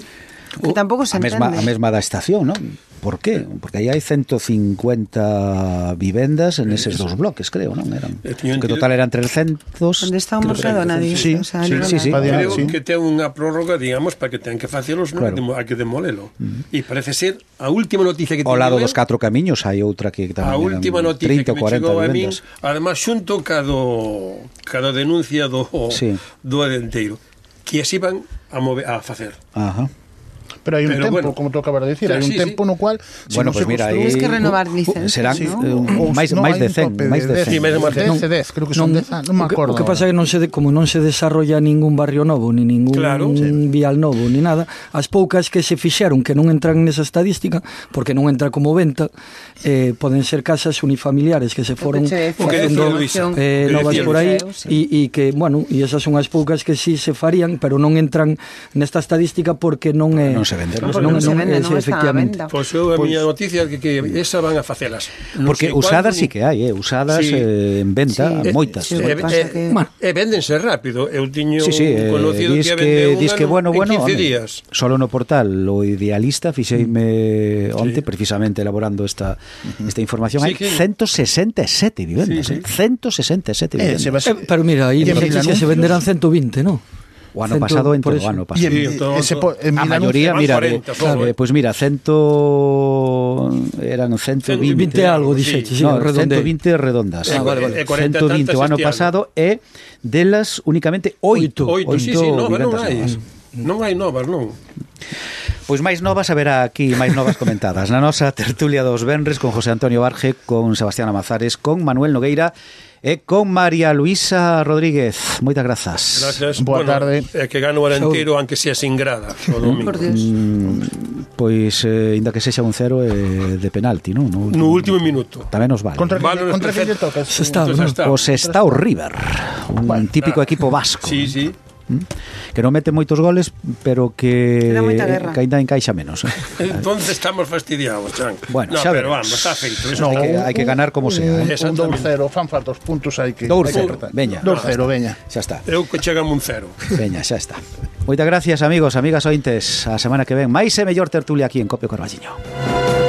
Que tampouco se a mesma, entende. a mesma da estación, non? Por qué? Porque aí hai ciento cincuenta vivendas en eses dos bloques, creo, non? Eran, que total eran trescentos. Onde está o Mercadona, dices? Sí, O sea, sí, ali sí, sí. Creo sí. que ten unha prórroga, digamos, para que ten que facelos, non? Claro. Hai que demolelo. E parece ser a última noticia que Ao lado teño dos catro camiños hai outra que tamén a eran última noticia trinta que ou me cuarenta chegou a min, vivendas. además xunto cado cada denuncia do Sí. do adenteiro, que as iban a mover a facer. Ajá. Pero hai un Pero tempo, bueno. como tú acabas de decir, Claro, hai un sí, tempo sí. no cual se Bueno, non pues se mira, construe- Tienes que aí- renovar licencias, serán ¿no? eh, máis No, máis hai de un cen, tope máis de de cen. Sí, máis de de Non. dez, dez, creo que son dez, non me o que- acordo. O que pasa é que non se de, como non se desarrolla ningún barrio novo, ni ningún Claro. vial novo, ni nada, as poucas que se fixeron que non entran nesa estadística, porque non entra como venta, eh, poden ser casas unifamiliares que se foron che decía, O que facendo decía Luisa, eh, o que novas decía por aí Luisa, e, e que, bueno, e esas son as poucas que sí se farían, pero non entran nesta estadística porque non é Non se venden. Porque non se vende, non está a venda. Pois eu a miña noticia que, que esa van a facelas. Non Porque sei usadas cuándo, sí que hai, eh? usadas Sí. eh, en venta, Sí. moitas. Sí, E, o que pasa e, que- bueno, e véndense rápido. Eu tiño Sí, sí, eh, conocido dis que que, vendeu dis que bueno, en bueno, quince home, días. solo no portal o Idealista fixeime onte precisamente elaborando esta esta información, hai Sí, que- ciento sesenta e sete vivendas, Sí, sí. eh? ciento sesenta e sete Eh, vivendas. se vas- Eh, pero mira, aí E en dices que se Milanuncios? venderán ciento veinte, ¿no? O ano Cento- pasado en por todo eso. o ano E pasado. en, Sí, todo- ese po- en A Milanuncios- maioría, van mira, cuarenta, eh, solo, eh, eh. pois mira, cento eran ciento vinte. veinte algo, sí. dixeche, sí, No, redondei. ciento vinte redondas. Ah, vale, vale. E cuarenta ciento vinte o tantas ano este ano. pasado e delas únicamente oito. Oito, sí, sí, no, non vivendas hai. novas. Non hai novas, non. Pois máis novas haberá aquí, máis novas comentadas na nosa tertulia dos venres con José Antonio Barge, con Sebastián Amazares, con Manuel Nogueira e con María Luisa Rodríguez. Moitas grazas. Gracias. Boa bueno, tarde. É que gano o arenteiro, aunque sea sin grada. O domingo. Por Dios. Mm, pois, eh, inda que sexa un cero eh, de penalti, non? No No último minuto. Tamén nos vale. Contra, Vale, contra que lle perfecto. tocas? Se está, Entonces, ¿no? está. O Sestao River, un Bueno, típico equipo vasco. Sí, sí. Que non mete moitos goles, pero que, Que dá moita guerra. que ainda encaixa menos. Eh? Entonces estamos fastidiados, Chan. Bueno, no, xa pero veremos. vamos, está feito. Eso No, Hai que, hai que ganar como sea. Eh? Un Exactamente. dous cero, fan falta os puntos, hai que Dous hai que cero, apretar. veña. dous cero, veña. Xa está. Eu que chegamos un cero. Veña, xa está. Moitas gracias, amigos, amigas ointes. A semana que ven, máis e mellor tertulia aquí en Copio Carballiño.